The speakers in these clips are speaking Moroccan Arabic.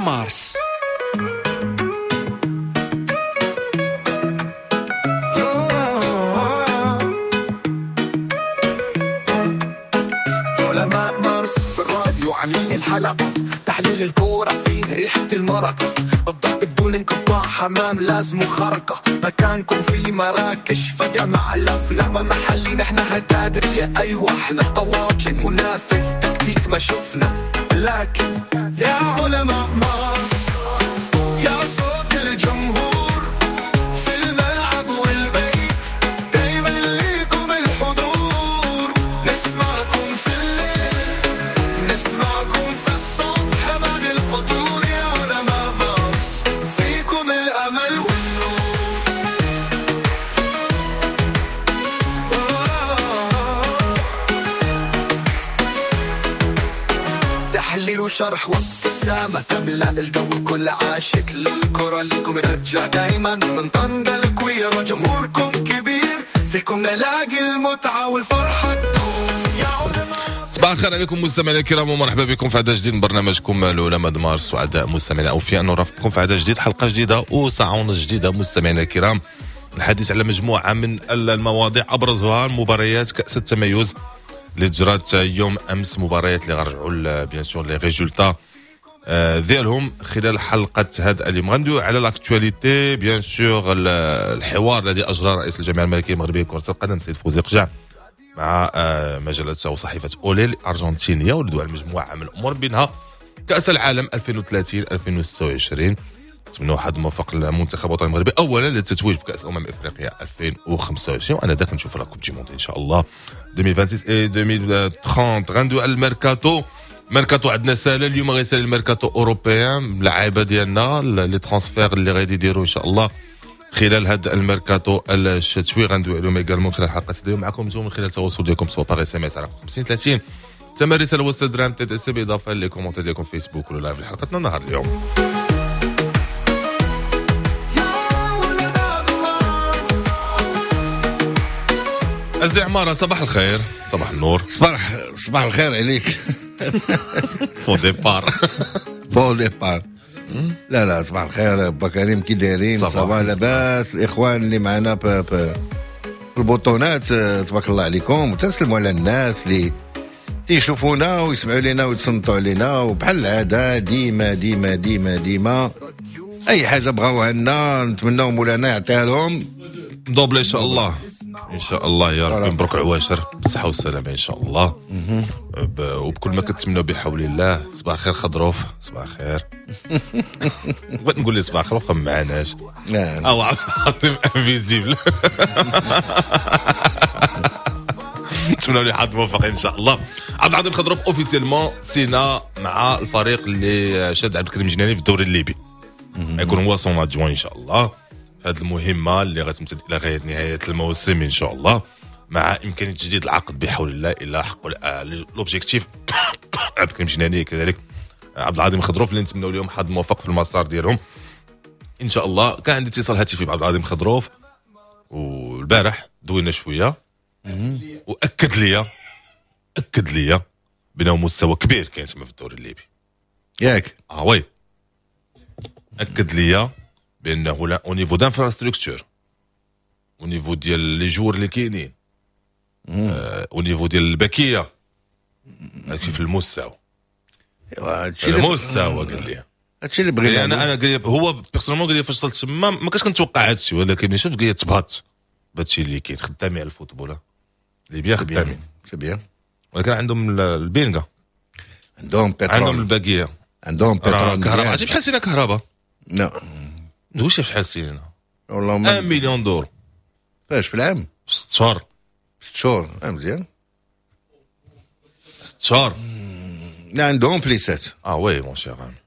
مارس. علماء مارس في الراديو عاملين الحلقة، تحليل الكورة فيه ريحة المرقة، الضرب بدون انقطاع، حمام لازم خرقة، مكانكم في مراكش فجأة مع الأفلام محلي، نحن هتادرية، أيوة احنا طواجن منافس تكتيك ما شفنا، لكن يا علماء مارس يا صوت الجمهور في الملعب والبيت، دايما ليكم الحضور، نسمعكم في الليل نسمعكم في الصبح بعد الفطور، يا علماء مارس فيكم الأمل والنور. تحليل وشرح وابتسامة تملأ الجو، كل عاشق للكرة لكم رجع دايما من طنجة الكويرة، جمهوركم كبير فيكم نلاقي المتعة والفرحة تدوم. يا علماء صباح الخير عليكم مستمعينا الكرام، ومرحبا بكم في عدد جديد من برنامجكم العلماء د مارس. سعداء مستمعينا اوفياء نرافقكم في عدد جديد، حلقة جديدة وساعة ونص جديدة مستمعينا الكرام، الحديث على مجموعة من المواضيع ابرزها مباريات كاس التميز اللي جرات يوم امس، مباريات اللي غنرجعوا bien sûr les résultats ديالهم خلال حلقة هذا اليوم. غندويو على l'actualité bien sûr، الحوار الذي اجرى رئيس الجامعة الملكية المغربية لكرة القدم السيد فوزي قجع مع مجلة وصحيفه اولي الارجنتينية، واللي على مجموعة من الامور بينها كاس العالم 2030 2026. نتمنى واحد موفق للمنتخب الوطني المغربي اولا للتتويج بكاس امم افريقيا 2025، وانا ذاك نشوف la Coupe du Monde ان شاء الله 2026 et 2030. غندوي على الميركاتو. ميركاتو عندنا سالا اليوم، غيسالي الميركاتو européen، اللعابه ديالنا les transferts اللي غادي يديروا ان شاء الله خلال هذا الميركاتو الشتوي، غندوي عليهم également خلال حلقة اليوم معكم انتم من خلال التواصل ديالكم سواء par SMS على 50 30 ثمن رسالة وسط درهم TTC، بالاضافة les commentaires ديالكم فيسبوك ولا live لحلقتنا نهار اليوم. أزدي عمارة صباح الخير. صباح النور. صباح الخير عليك. bon départ. bon départ. لا لا صباح الخير با كريم، كي دايرين؟ صباح لاباس الاخوان اللي معنا في البطونات، تبارك الله عليكم، وتسلموا على الناس اللي تيشوفونا ويسمعوا لينا ويتصنتوا علينا، وبحال العادة ديما ديما ديما ديما اي حاجة بغاوها لنا نتمناو مولانا يعطيها لهم double ان شاء الله. ان شاء الله يا ربي، مبروك عواشر بالصحة والسلامة ان شاء الله، وبكل ما كتمنوا بحول الله. صباح الخير خضروف، صباح الخير. بغيت نقول لي صباح الخير ما معناش، او عظيم invisible. نتمنوا لي حظ موفق ان شاء الله. عبد العظيم خضروف officiellement signa مع الفريق اللي شاد عبد الكريم جناني في الدوري الليبي، يكون هو son adjoint ان شاء الله هذه المهمة اللي غتمتد الى غاية نهاية الموسم ان شاء الله، مع امكانية تجديد العقد بحول الله الى حق l'objectif. عبد الكريم جناني كذلك عبد العظيم خضروف اللي نتمنوا لهم حظ موفق في المسار ديالهم ان شاء الله. كان عندي اتصال هاتفي بعبد العظيم خضروف والبارح دوينا شوية، واكد لي اكد لي بانه مستوى كبير كاين تما في الدوري الليبي. ياك؟ Oui، اكد لي بانه لا au niveau d'infrastructure، au niveau ديال les joueurs اللي كاينين، au niveau ديال البكيه، هادشي في المستوى. في المستوى قال لي هادشي اللي بغينا. انا قال لي هو personnellement، قال لي فاش وصلت تما ما كنتش كنتوقع هادشي، ولكن شفت قال لي تبهت بهادشي اللي كاين. خدامين على ال football ليبيا، خدامين c'est bien، ولكن عندهم البينغا، عندهم بترول، عندهم الباقية، عندهم بترول، كهرباء. عرفتي شحال سينا كهرباء؟ لا نقولش شحال سينا، والله ما 1 مليون دور. فاش في العام؟ 6 شهور. 6 شهور مزيان. 6 شهور. لا عندهم فليسات. Oui mon cher ami.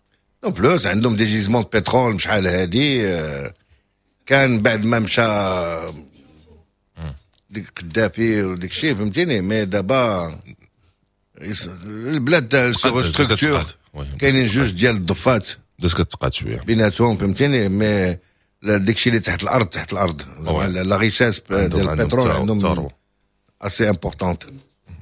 en plus عندهم des gisements pétrole شحال هادي، كان بعد ما مشى ديك قدافي وديك الشيء فهمتيني، mais دابا البلاد se restructure، كاينين جوج ديال الضفات بدات كتقاد شوية بيناتهم فهمتيني، mais داك الشيء اللي تحت الارض، تحت الارض la richesse ديال البترول عندهم assez importante.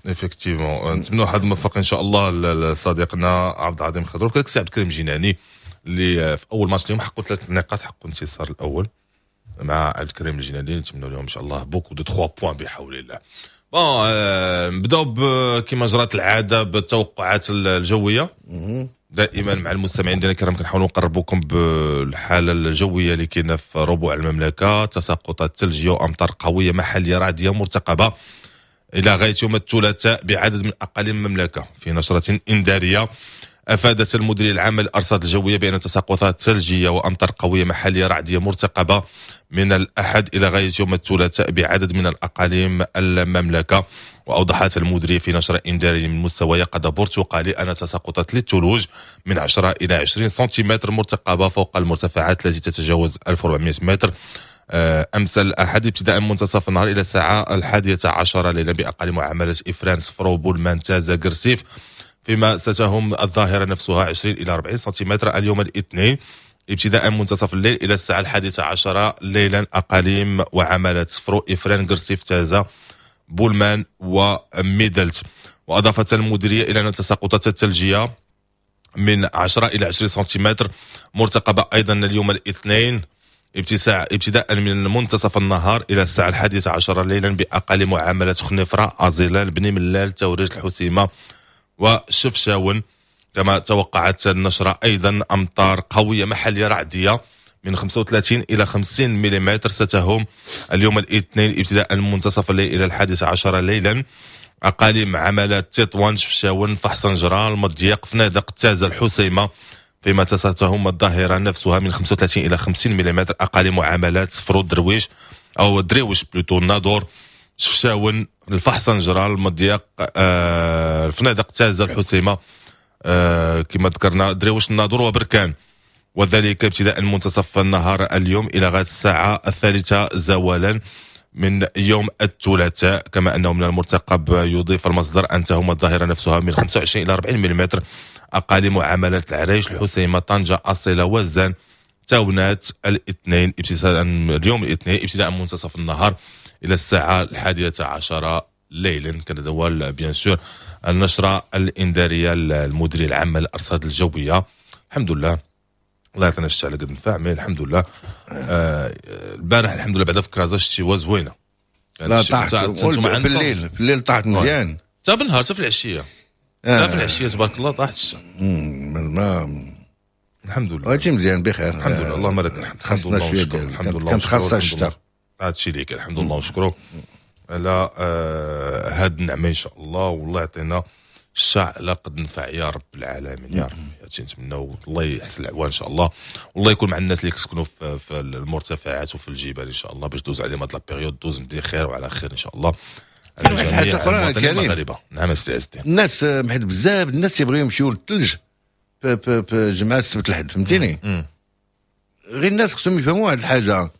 Effectivement نتمنوا حظ موفق ان شاء الله لصديقنا عبد العظيم خضروف، كذلك سي عبد الكريم جناني اللي في اول ماتش اليوم حققوا ثلاث نقاط، حققوا الانتصار الاول مع عبد الكريم الجنادي. نتمنى لهم ان شاء الله beaucoup de 3 points بحول الله. bon، نبداو كما جرت العادة بالتوقعات الجويه. دائما مع المستمعين ديالنا الكرام كنحاولوا نقربوكم بالحالة الجوية اللي كاينه في ربوع المملكه. تساقطات ثلجيه وامطار قوية محليه رعديه مرتقبه الى غاية يوم الثلاثاء بعدد من اقاليم المملكه. في نشره انذاريه افادت المديرية العامة للارصاد الجوية بان تساقطات ثلجيه وامطار قوية محليه رعديه مرتقبه من الاحد الى غاية يوم الثلاثاء بعدد من الاقاليم المملكه. واوضحت المديرية في نشره انذاريه من مستوى يقظه برتقالي ان تساقطات للثلوج من 10 الى 20 سنتيمتر مرتقبه فوق المرتفعات التي تتجاوز 1400 متر امس الاحد ابتداء من منتصف النهار الى الساعة 11 ليلا باقاليم وعماله افران، صفرو، بولمان، تازا، قرسيف، فيما ستهم الظاهرة نفسها 20 الى 40 سنتيمتر اليوم الاثنين ابتداء من منتصف الليل الى الساعة 11 ليلا اقاليم وعمالات صفرو، افران، قرسيف، تازا، بولمان وميدلت. واضافت المديرية الى ان التساقطات الثلجيه من 10 الى 20 سنتيمتر مرتقبه ايضا اليوم الاثنين ابتداء من منتصف النهار الى الساعة 11 ليلا باقاليم وعمالات خنيفره، ازيلال، بني ملال، تاوريرت، الحسيمه وشفشاون. كما توقعت النشرة أيضا أمطار قوية محلية رعدية من 35 إلى 50 ملم ستهم اليوم الاثنين ابتداء من منتصف الليل إلى 11 ليلا أقاليم عمالات تطوان، شفشاون، الفحص أنجرة، المضيق، فنادق، تازة، الحسيمة، فيما ستهم الظاهرة نفسها من 35 إلى 50 ملم أقاليم وعمالات صفرو، درويش أو دريوش plutôt، الناظور، شفشاون، الفحص أنجرة، المضيق، الفنادق، تازة، الحسيمة، كما ذكرنا دريوش، الناظور وبركان، وذلك ابتداء منتصف النهار اليوم إلى غاية الساعة 3 زوالا من يوم الثلاثاء. كما أنه من المرتقب، يضيف المصدر، أن تهم الظاهرة نفسها من 25 إلى 40 ملم أقاليم وعمالات العرايش، الحسيمة، طنجة، أصيلة، وزان، تاونات الاثنين ابتداء اليوم الاثنين ابتداء منتصف النهار إلى الساعة 11 ليلا. كان هذا هو bien sûr النشرة الإنذارية المديرية العامة للأرصاد الجوية. الحمد لله، الله يعطينا الشتا على قد النفع، mais الحمد لله البارح الحمد لله بعدا في كازا الشتيوه زوينه. لا، طاحت بالليل، في الليل طاحت مزيان. حتى بالنهار، حتى في العشيه، حتى في العشية تبارك الله طاحت الشتا. ما الحمد لله. هادشي مزيان بخير. الحمد لله، اللهم لك الحمد. خاصنا شويه. الحمد لله. كانت خاصها الشتاء. هادشي اللي كاين، الحمد لله ونشكرو على هاد النعمة ان شاء الله، والله يعطينا الشتا على قد نفع يا رب العالمين يا رب. هادشي نتمناو، الله يحسن العوان ان شاء الله، والله يكون مع الناس اللي كيسكنوا في المرتفعات وفي الجبال ان شاء الله، باش دوز عليهم هاد la période، دوز بخير وعلى خير ان شاء الله. واحد الحاجة اخرى كريم. المغاربه، نعم سي عز الدين. الناس حيت بزاف الناس تيبغيو يمشيو للثلج في جمعه السبت الحد، فهمتيني؟ غير الناس خصهم يفهموا واحد الحاجه.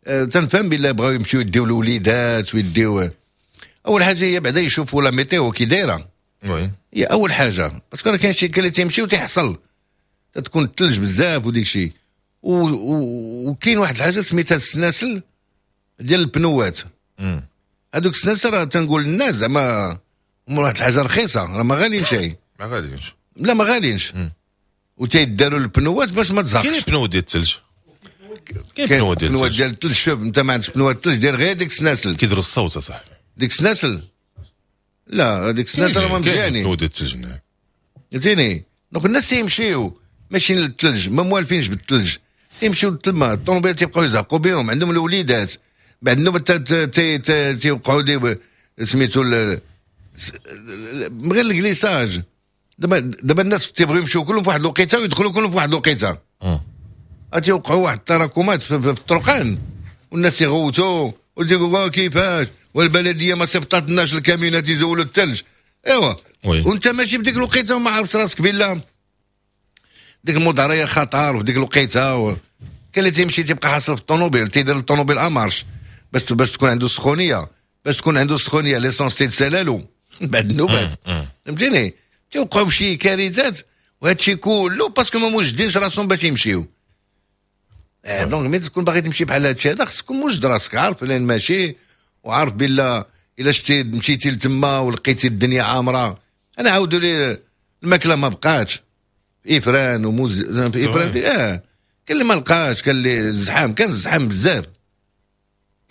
تنفهم بالله بغاو يمشيو يديو الوليدات ويديو، اول حاجة هي بعدا يشوفوا la météo كي دايره. هي اول حاجه، parce que راه كاين شي اللي تيمشي وتيحصل، تكون الثلج بزاف وديك الشيء. وكاين واحد الحاجة سميتها السناسل ديال البنوات. هذوك السناسل راه تنقول للناس زعما هما واحد الحاجة رخيصه، راه ما غاليين شيء. ما غاليينش. لا، ما غاليينش، وتيداروا البنوات باش ما تزهقش. كاين pneus ديال الثلج، كاين pneus ديال الثلج. ديال الثلج، شوف انت ما عندكش pneus الثلج، دير غير ديك السناسل. كيديروا الصوت اصاحبي. ديك السناسل، لا، هذيك السناسل راه ما مزيانين. pneus ديال الثلج، نعم. فهمتيني؟ donc الناس تيمشيو ماشيين للثلج، ما موالفينش بالثلج، تيمشيو للتما الطوموبيل تيبقاو يزهقوا بهم، عندهم الوليدات، بعد النوبة تيوقعوا des سميتو غير ال glissage. دابا الناس تيبغيو يمشيو كلهم في واحد الوقيته ويدخلوا كلهم في واحد الوقيته، تيوقعوا واحد التراكمات في الطرقان، والناس تيغوتوا وتيقولوا كيفاش والبلديه ما صيفطاتلناش الكاميونات يزولوا الثلج. ايوا وانت ماشي بديك الوقيته وما عرفت راسك بالله ديك المضاريه خطر، وديك الوقيته كاين اللي تيمشي تيبقى حاصل في الطوموبيل، تيدير الطوموبيل en marche باش تكون عنده السخونيه، باش تكون عنده السخونيه l'essence تيتسالالو بعد النوبات، فهمتيني؟ تيوقعوا بشي كارثات، وهذا الشيء كله parce que ما موجدينش راسهم باش يمشيو. Donc ملي تكون باغي تمشي بحال هذا الشيء هذا، خصك تكون موجد راسك، عارف لين ماشي، وعارف بلا الا شتي مشيتي لتما ولقيتي الدنيا عامره. انا عاودوا لي الماكلة ما بقاتش. في افران وموز في افران. كان اللي ما لقاش، كان اللي الزحام، كان الزحام بزاف.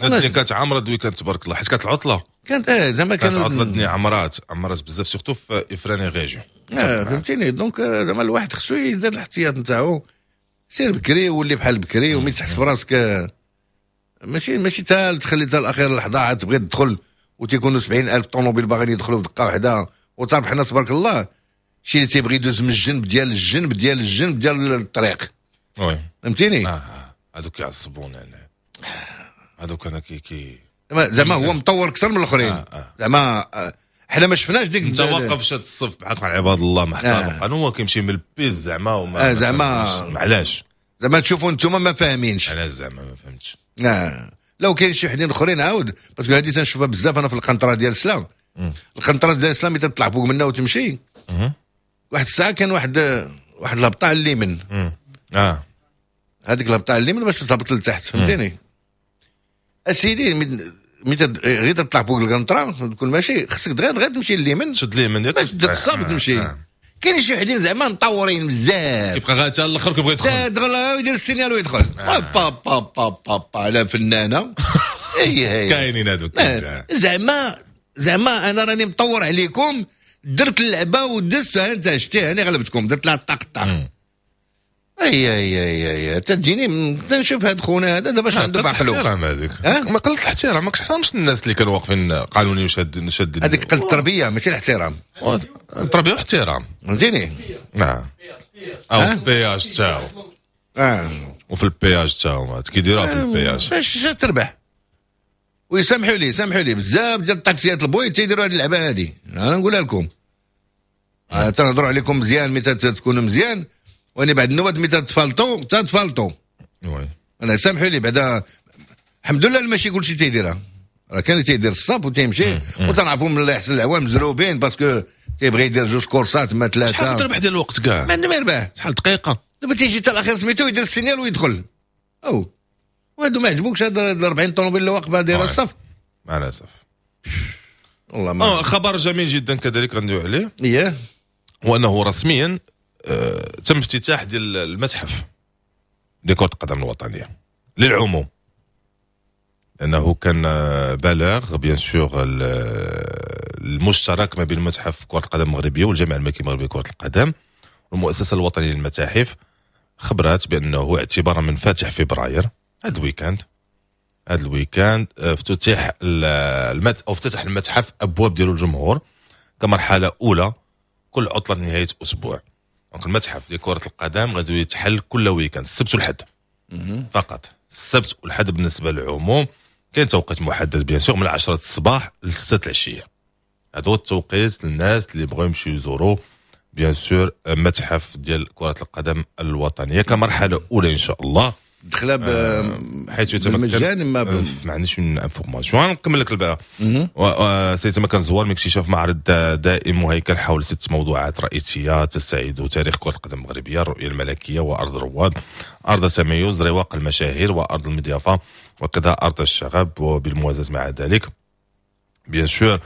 الدنيا كانت عامرة ال week-end تبارك الله، حيت كانت العطلة. كانت زعما كانت عطله، الدنيا عمرات بزاف surtout في افران région. فهمتيني. donc زعما الواحد خصو يدير الاحتياط نتاعو، سير بكري ولي بحال بكري، وملي تحس براسك ماشي تا تخلي حتى الاخير لحظة عاد تبغي تدخل وتيكونوا 70,000 طوموبيل باغيين يدخلوا بدقة واحدة. وتعرف حنا تبارك الله شي اللي تيبغي يدوز من الجنب ديال الجنب ديال الجنب ديال الطريق. oui فهمتيني. هذوك يعصبون انا، هذوك انا كي زعما هو مطور اكثر من الاخرين. زعما حنا ما شفناش ديك انت واقف شاد الصف بحالك مع عباد الله محترم، انا هو كيمشي من ال piste زعما وما زعما علاش زعما تشوفوا انتم ما فاهمينش علاش زعما ما فهمتش. لو كاين شي وحدين اخرين عاود، parce que هذه تنشوفها بزاف انا في القنطرة ديال السلام. القنطرة ديال السلام ملي تطلع فوق منها وتمشي واحد الساعة كان واحد الهبطه على اليمين. هذيك الهبطه على اليمين باش تهبط لتحت، فهمتيني اسيدي. ملي غير تطلع فوق القنطرة تكون ماشي، خصك دغيا تمشي لليمين، تشد اليمين باش تصاب تمشي. كاين شي وحدين زعما مطورين بزاف، كيبقى غير حتى الاخر كيبغي يدخل، يدخل ويدير ال signal ويدخل. با با با با با على فنانة. اي كاينين هذوك زعما انا راني مطور عليكم، درت اللعبة ودزت، انت شتي انا غلبتكم، درت لها طاق طاق. اي اي اي اي تجيني تنشوف هاد خونا هذا دابا اش عنده بعقلو. الاحترام هذيك ما قلت الاحترام، ما كتحترمش الناس اللي كانوا واقفين قانوني وشاد شاد. هذيك قلت التربية ماشي الاحترام. التربية واحترام، فهمتيني. نعم. او في ال péage تاعو. وفي ال péage تاعو كيديروها في ال péage باش تربح. ويسامحوا لي، سامحوا لي بزاف ديال الطاكسيات البوي تيديروا هذه اللعبة هذه، انا نقولها لكم. تنهضروا عليكم مزيان ملي تكونوا مزيان، واني بعد النوبات ملي تتفالطوا oui. انا سامحوا لي بعدا، الحمد لله ماشي كلشي تيديرها، راه كاين اللي تيدير الصاب وتيمشي، وتنعرفوا من الله يحسن العوام مزروبين parce que تيبغي يدير جوج كورسات ما ثلاثة. شحال تربح ديال الوقت كاع؟ ما عنده ما يربح. شحال دقيقة؟ دابا تيجي حتى الاخير سميتو يدير ال signal ويدخل. او وهادو ما عجبوكش هاد 40 طوموبيل اللي واقفة دايرة الصف. مع الاسف. والله ما خبر جميل جدا كذلك غندويو عليه. اييه. وانه رسميا تم افتتاح ديال المتحف ديال كرة القدم الوطنية للعموم، لأنه كان بلاغ bien sûr المشترك ما بين متحف كرة القدم المغربية والجامعة الملكية المغربية لكرة القدم والمؤسسة الوطنية للمتاحف، خبرات بأنه اعتبارا من فاتح فبراير هذا ال week-end، هذا ال week-end افتتح او افتتح المتحف أبواب ديالو للجمهور كمرحلة أولى كل عطلة نهاية أسبوع. donc المتحف ديال كرة القدم غادي يتحل كل week-end السبت والحد فقط، السبت والحد بالنسبة للعموم. كاين توقيت محدد bien sûr من 10 الصباح ل 6 العشية، هذا هو التوقيت للناس اللي بغاو يمشيو يزوروا bien sûr متحف ديال كرة القدم الوطنية كمرحلة أولى إن شاء الله. دخلها حيث يتمكن بالمجان ما عنديش une information نكمل لك الباقي. سيتمكن الزوار من اكتشاف معرض دائم مهيكل حول 6 موضوعات رئيسية تستعيد تاريخ كره القدم المغربية، الرؤية الملكية وارض الرواد، ارض التميز، رواق المشاهير، وارض المضيافه، وكذا ارض الشغب. وبالموازاه مع ذلك bien sûr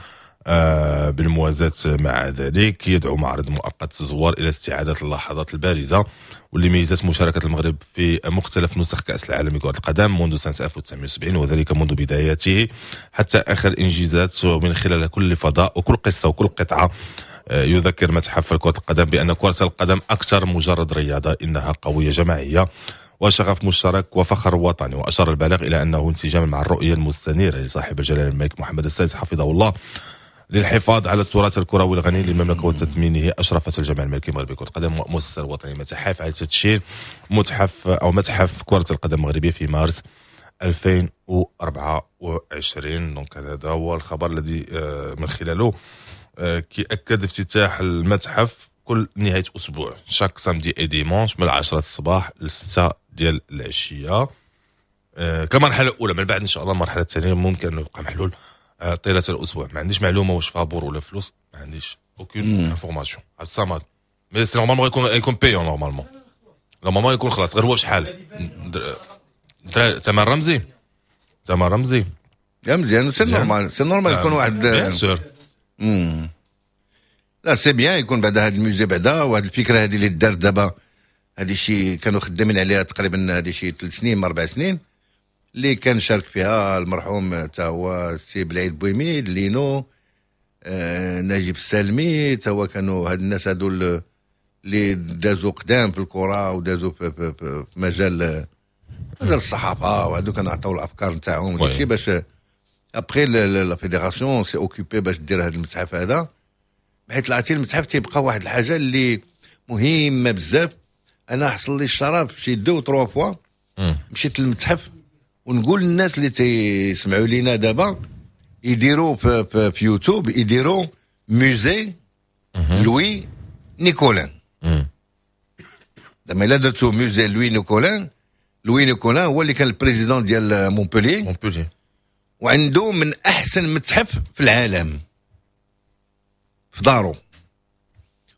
بالموازاة مع ذلك يدعو معرض مؤقت الزوار إلى استعادة اللحظات البارزة واللي ميزت مشاركة المغرب في مختلف نسخ كأس العالم لكرة القدم منذ سنة 1970، وذلك منذ بداياته حتى آخر إنجازات، ومن خلال كل فضاء وكل قصة وكل قطعة. يذكر متحف كرة القدم بأن كرة القدم أكثر مجرد رياضة، إنها قوية جماعية وشغف مشترك وفخر وطني. وأشار البلاغ إلى أنه انسجاما مع الرؤية المستنيرة لصاحب الجلالة الملك محمد السادس حفظه الله للحفاظ على التراث الكروي الغني للمملكة وتثمينه، أشرفت الجامعة الملكية المغربية لكرة القدم والمؤسسة الوطنية للمتاحف على تدشين متحف أو متحف كرة القدم المغربية في مارس 2024. donc هذا هو الخبر الذي من خلاله كيأكد افتتاح المتحف كل نهاية أسبوع chaque samedi et dimanche من 10 الصباح ل 6 ديال العشية كمرحلة أولى. من بعد إن شاء الله المرحلة الثانية ممكن أنه يبقى محلول طيلة الأسبوع. ما عنديش معلومة واش فابور ولا فلوس، ما عنديش aucune information عبد الصمد، mais c'est normalement يكون payant، normalement يكون خلاص. غير هو بشحال ثمن رمزي، ثمن رمزي يا مزيان، c'est normal، c'est normal يكون واحد bien sûr. لا c'est bien يكون بعدا هذا ال musée بعدا، وهذه الفكرة هذه اللي دارت دابا، هذه شي كانوا خدامين عليها تقريبا هذه شي 3 سنين ما 4 سنين، اللي كان شارك فيها المرحوم تا هو السي بلعيد بويميد لينو، نجيب السالمي، تا هو. كانوا هاد الناس هادو اللي دازوا قدام في الكره ودازوا في مجال الصحافه، وهادو كانوا عطاو الافكار نتاعهم وداكشي باش après la fédération s'est occupée باش دير هذا المتحف هذا، بحيث العتي المتحف تيبقى واحد الحاجة اللي مهمة بزاف. انا حصل لي الشرف شي deux trois fois مشيت للمتحف، ونقول للناس اللي تيسمعوا لينا دابا يديروا في يوتيوب، يديروا musée Louis Nicollin. زعما الا درتو musée Louis Nicollin، Louis Nicollin هو اللي كان ال président ديال مونبوليي. مونبوليي. وعنده من احسن متحف في العالم في دارو.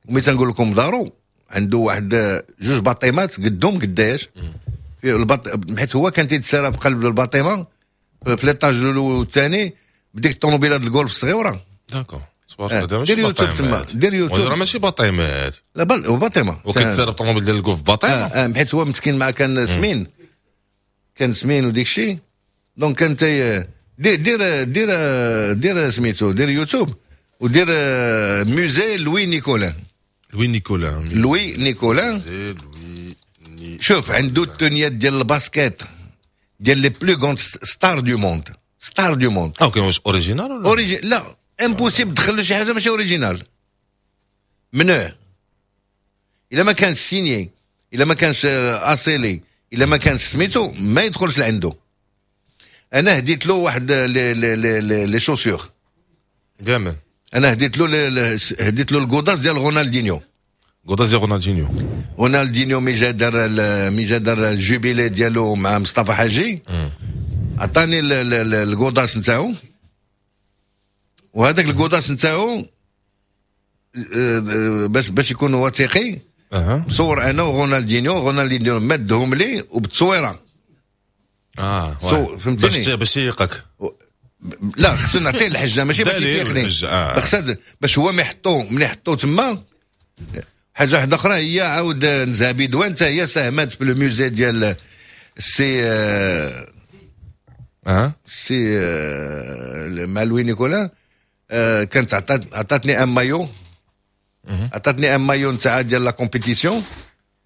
وملي تنقول لكم دارو، عنده واحد جوج باطيمات قدهم قداش في حيت هو كان تيتسارى في قلب ال bâtiment في l'étage الاول والثاني بديك الطوموبيلات الجولف الصغيره. d'accord. دير يوتيوب تما، دير يوتيوب. راه ماشي باطيمات. لا بل هو bâtiment. وكيتسارى بطوموبيل ديال ال golf bâtiment؟ آه، حيت هو مسكين مع كان سمين، كان سمين وديك الشيء، donc كان تي دير دير دير دير سميتو، دير يوتيوب ودير musée Louis Nicollin. Louis Nicollin. Louis Nicollin. Louis Ni شوف، عنده التونيات ديال ال basket ديال les plus grandes stars du monde، stars du monde. اه، كاين واش original ولا لا، impossible تدخل له شي حاجة ماشي original، منوع. الا ما كانش signé، الا ما كانش اصيلي، الا ما كانش سميتو، ما يدخلش لعنده. انا هديت له واحد les chaussures. جامد. انا هديت له ال godasses ديال رونالدينيو. godasses ديال رونالدينيو. رونالدينيو مي جا دار ال jubilé ديالو مع مصطفى حاجي، عطاني ال godasses نتاعو، وهذاك ال godasses نتاعو باش يكون وثيقي مصور انا ورونالدينيو، رونالدينيو مدهم لي وبتصويره. فهمتني؟ باش ييقك. لا، خصو نعطيه الحجة ماشي باش يتيقني. خصها باش هو ما يحطو من يحطو تما. حاجة واحدة اخرى هي عاود نزهه بيدوان حتى هي ساهمت في ال musée ديال السي السي مع Louis Nicollin. كانت عطاتني un maillot، عطاتني un maillot نتاع ديال la compétition،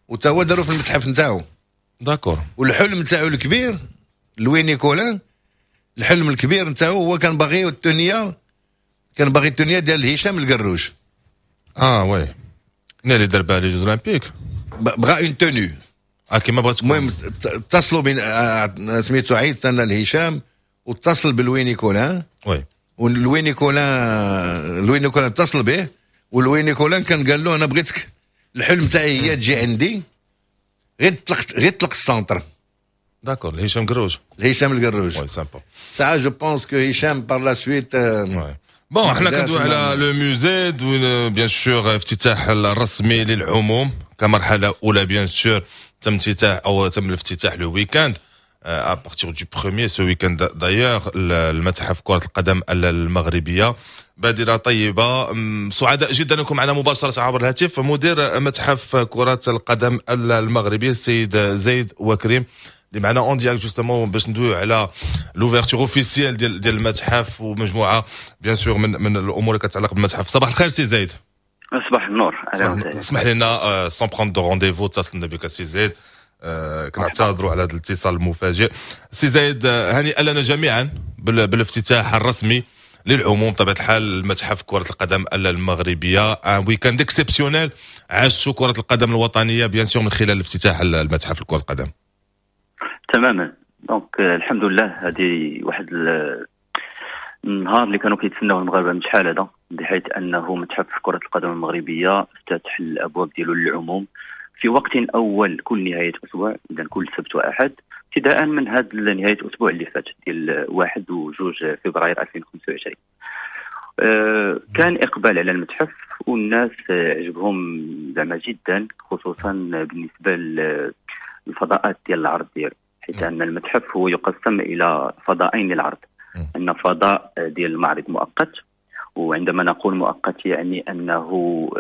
وتا هو دارو في المتحف نتاعو. والحلم نتاعو الكبير Louis Nicollin، الحلم الكبير نتاعو هو كان باغي التونيه، كان باغي التونيه ديال هشام القروج. اه oui، اللي دار بها les Jeux Olympiques. بغا une tenue. اه، كيما بغات. المهم اتصلوا بين سميتو، عيط انا لهشام واتصل ب Louis Nicollin. و Louis Nicollin، Louis Nicollin اتصل به، و Louis Nicollin كان قال له انا بغيتك، الحلم تاعي هي تجي عندي غير تطلق، غير تطلق ال centre. d'accord، هشام قروج. هشام القروج. oui، sympa. ساعة je pense que هشام par la suite. bon، حنا كندوي على le musée، bien sûr افتتاح الرسمي للعموم كمرحله اولى، bien sûr تم افتتاح او تم الافتتاح le week-end، à partir du premier، ce week-end d'ailleurs، المتحف كرة القدم المغربية. بادرة طيبة. سعداء جدا لكم معنا مباشرة عبر الهاتف مدير متحف كرة القدم المغربية السيد زيد وكريم اللي معنا en direct justement باش ندويو على l'ouverture officielle ديال المتحف ومجموعة bien sûr من الامور اللي كتعلق بالمتحف. صباح الخير سي زيد. صباح النور. اسمح لنا، sans prendre de rendez-vous اتصلنا بك سي زيد، كنعتذروا على هذا الاتصال المفاجئ. سي زايد، هنيئا لنا جميعا بالافتتاح الرسمي للعموم بطبيعة الحال المتحف كره القدم المغربيه. un week-end exceptionnel عاشوا كره القدم الوطنية bien sûr من خلال افتتاح المتحف لكرة القدم. تماما، donc الحمد لله، هذه واحد النهار اللي كانوا كيتسناوه المغاربة من شحال هذا، بحيث انه متحف كره القدم المغربية افتتح الابواب ديالو للعموم في وقت اول كل نهاية اسبوع، اذا كل سبت واحد، ابتداء من هذا نهاية الاسبوع اللي فات ديال 1 و2 فبراير 2025. كان اقبال على المتحف والناس عجبهم زعما جدا، خصوصا بالنسبة للفضاءات ديال العرض ديالو، حيث ان المتحف هو يقسم الى فضائين للعرض، ان فضاء ديال المعرض مؤقت. وعندما نقول مؤقت يعني أنه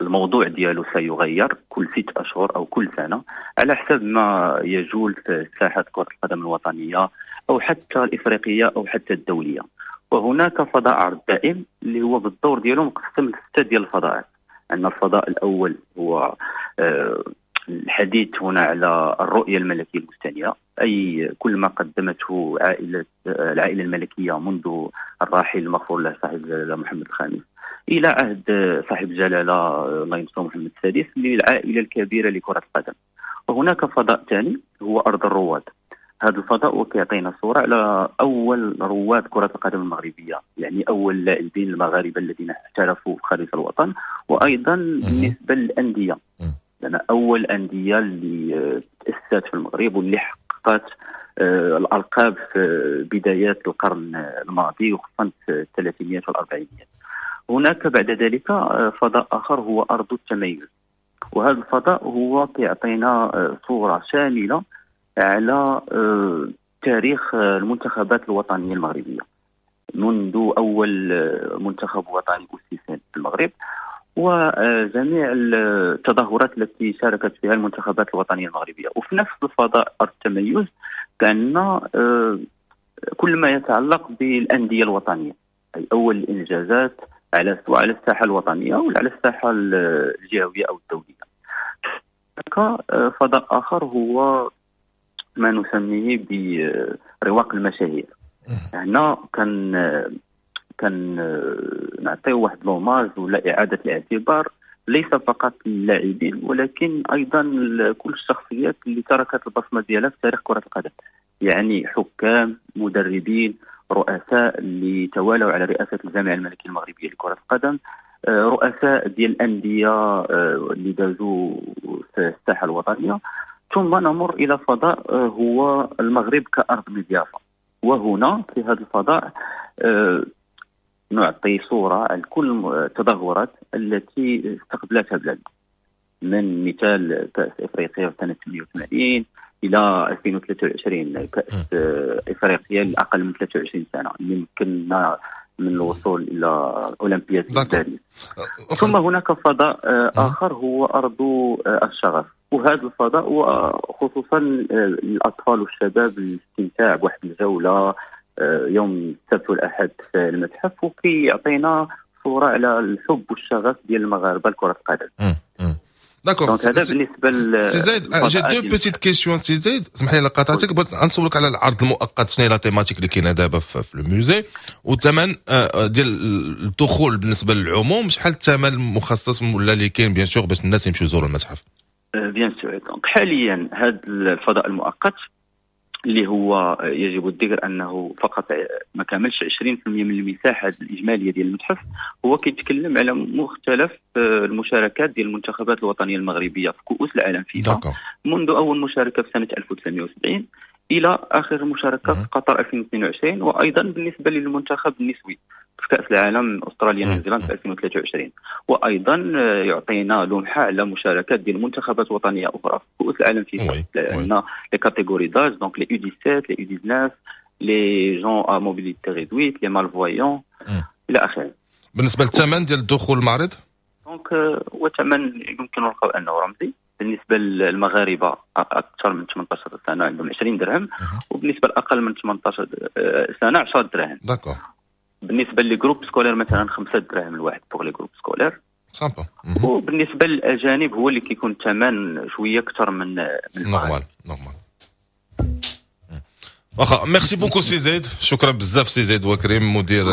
الموضوع ديالو سيغير كل 6 أشهر أو كل سنة على حسب ما يجول في ساحة كرة القدم الوطنية أو حتى الإفريقية أو حتى الدولية. وهناك فضاء عرض دائم اللي هو بالدور ديالو مقسم ل6 ديال الفضاءات. عندنا الفضاء الأول هو الحديث هنا على الرؤية الملكية المستنيرة، أي كل ما قدمته العائلة الملكية منذ الراحل المغفور له صاحب الجلالة محمد الخامس إلى عهد صاحب الجلالة الله ينصره محمد السادس للعائلة الكبيرة لكرة القدم. وهناك فضاء ثاني هو أرض الرواد. هذا الفضاء وكيعطينا صورة على أول رواد كرة القدم المغربية، يعني أول اللاعبين المغاربة الذين احترفوا في خارج الوطن، وأيضا بالنسبة للأندية، لأن أول أندية اللي تأسست في المغرب واللي حققت الألقاب في بدايات القرن الماضي وخصوصا في الثلاثينيات والأربعينيات. هناك بعد ذلك فضاء آخر هو أرض التميز، وهذا الفضاء هو كيعطينا صورة شاملة على تاريخ المنتخبات الوطنية المغربية منذ أول منتخب وطني أسس في المغرب وجميع التظاهرات التي شاركت فيها المنتخبات الوطنية المغربية. وفي نفس الفضاء أرض التميز كان كل ما يتعلق بالأندية الوطنية، أي أول الإنجازات على سواء على الساحة الوطنية ولا على الساحة الجهوية أو الدولية. هناك فضاء آخر هو ما نسميه برواق المشاهير. هنا كان نعطيه واحد l'hommage ولا إعادة الاعتبار ليس فقط للاعبين ولكن أيضا كل الشخصيات اللي تركت البصمة ديالها في تاريخ كرة القدم، يعني حكام، مدربين، رؤساء اللي توالوا على رئاسة الجامعة الملكية المغربية لكرة القدم، رؤساء ديال الأندية اللي دازوا في الساحة الوطنية. ثم نمر إلى فضاء هو المغرب كأرض مضيافة، وهنا في هذا الفضاء نعطي صورة عن كل التظاهرات التي استقبلتها بلادنا، من مثال كأس إفريقيا في سنة 88 إلى 2023 كأس إفريقيا لأقل من 23 سنة اللي يمكننا من الوصول إلى أولمبياد باريس. ثم هناك فضاء آخر هو أرض الشغف، وهذا الفضاء وخصوصا الأطفال والشباب الاستمتاع بواحد الجولة يوم السبت والأحد في المتحف، وكيعطينا صورة على الحب والشغف ديال المغاربة لكرة القدم. d'accord. هذا بالنسبة سي زايد، j'ai deux petites questions. سي زايد اسمح لي قاطعتك، بغيت نسولك على العرض المؤقت، شنو هي la thématique اللي كاينه دابا في ال musée، والثمن ديال الدخول بالنسبة للعموم، شحال الثمن المخصص ولا اللي كاين bien sûr باش الناس يمشيو يزوروا المتحف؟ bien sûr. donc حاليا هذا الفضاء المؤقت اللي هو يجب الذكر انه فقط ما كاملش 20% من المساحة الاجمالية ديال المتحف، هو كيتكلم على مختلف المشاركات ديال المنتخبات الوطنية المغربية في كؤوس العالم فيفا منذ اول مشاركة في سنة 1970 الى اخر مشاركة في قطر 2022، وايضا بالنسبة للمنتخب النسوي في كاس العالم استراليا نيوزيلاند في 2023، وايضا يعطينا لمحه على مشاركات ديال منتخبات وطنية اخرى في كؤوس العالم فيفا، لان les catégories d'âge donc les U17 les U19 les gens à mobilité réduite les malvoyants الى اخره. بالنسبة للثمن ديال الدخول المعرض، donc هو ثمن يمكن القول انه رمزي. بالنسبة للمغاربة اكثر من 18 سنة عندهم 20 درهم، وبالنسبة لاقل من 18 سنة 10 دراهم. d'accord. بالنسبة les groupes scolaires مثلا 5 دراهم الواحد pour les groupes scolaires. sympa. وبالنسبة للاجانب هو اللي كيكون الثمن شوية اكثر من normal normal. واخا merci beaucoup سي زيد، شكرا بزاف سي زيد وكريم مدير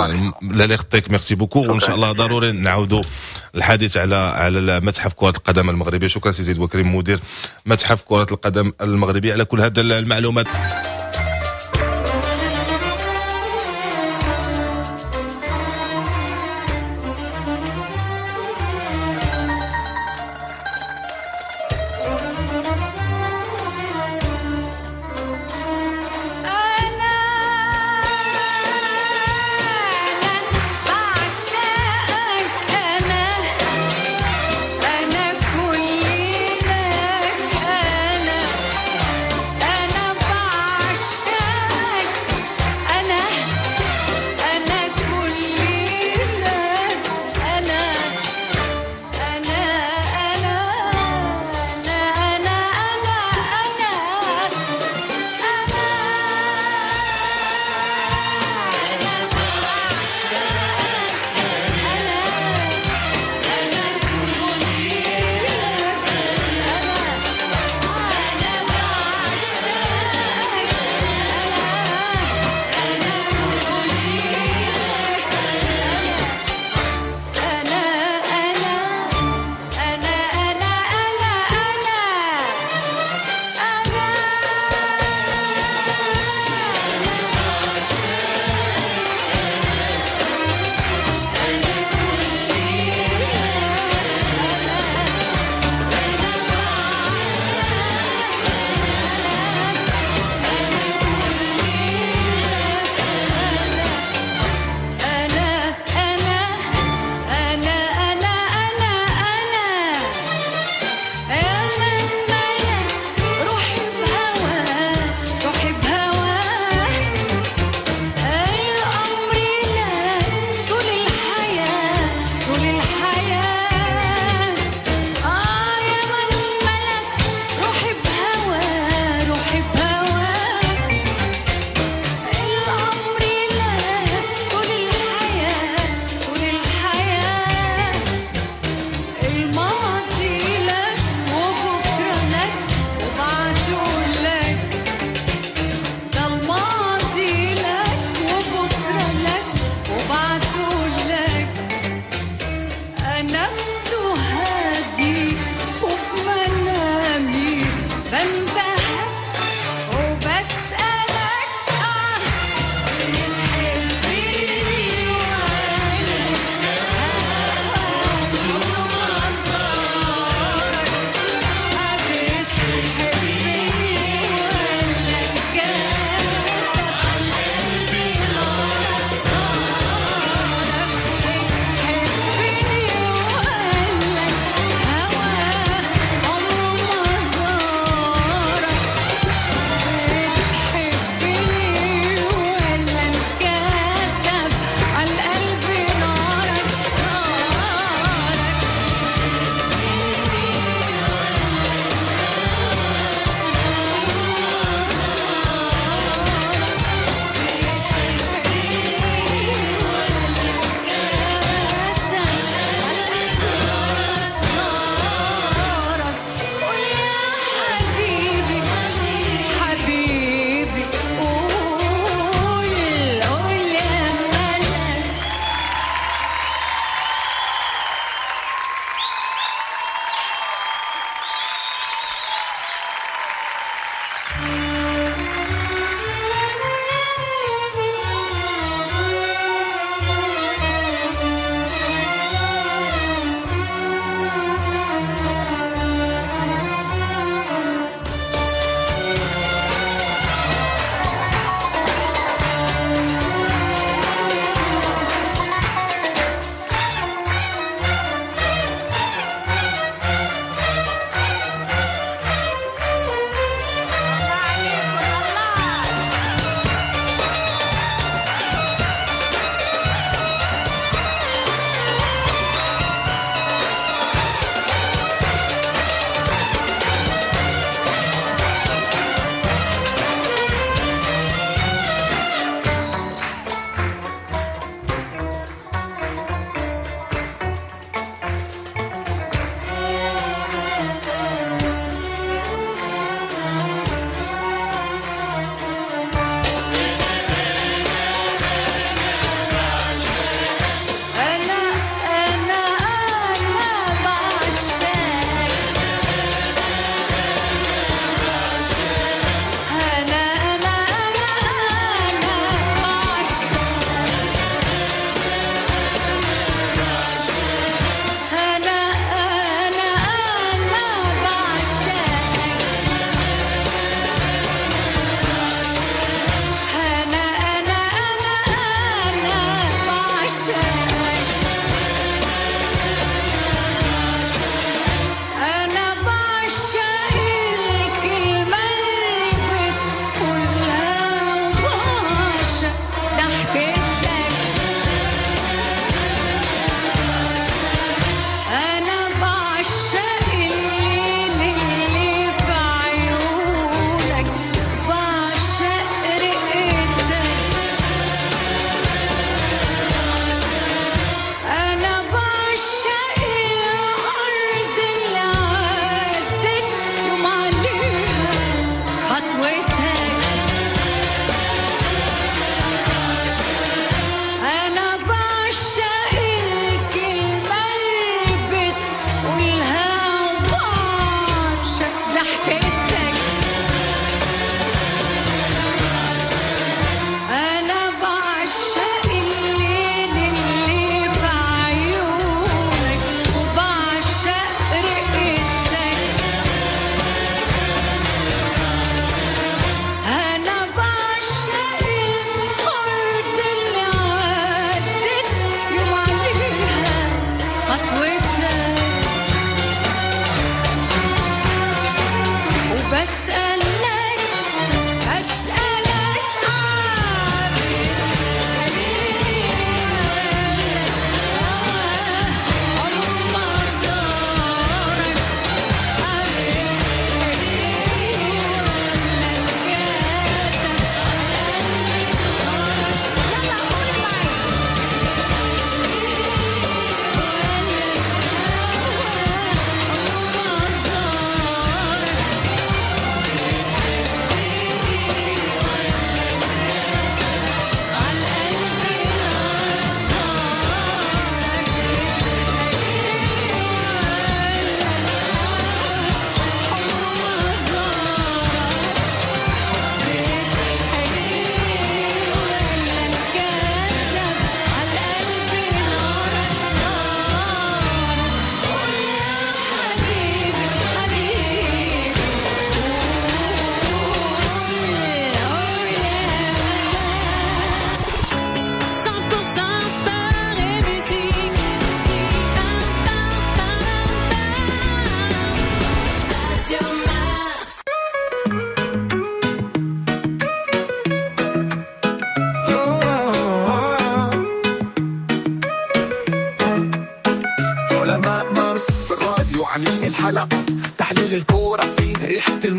لا يخطيك، merci beaucoup، وان شاء الله ضروري نعاودوا الحديث على متحف كرة القدم المغربي. شكرا سي زيد وكريم مدير متحف كرة القدم المغربي على كل هذه المعلومات. أنا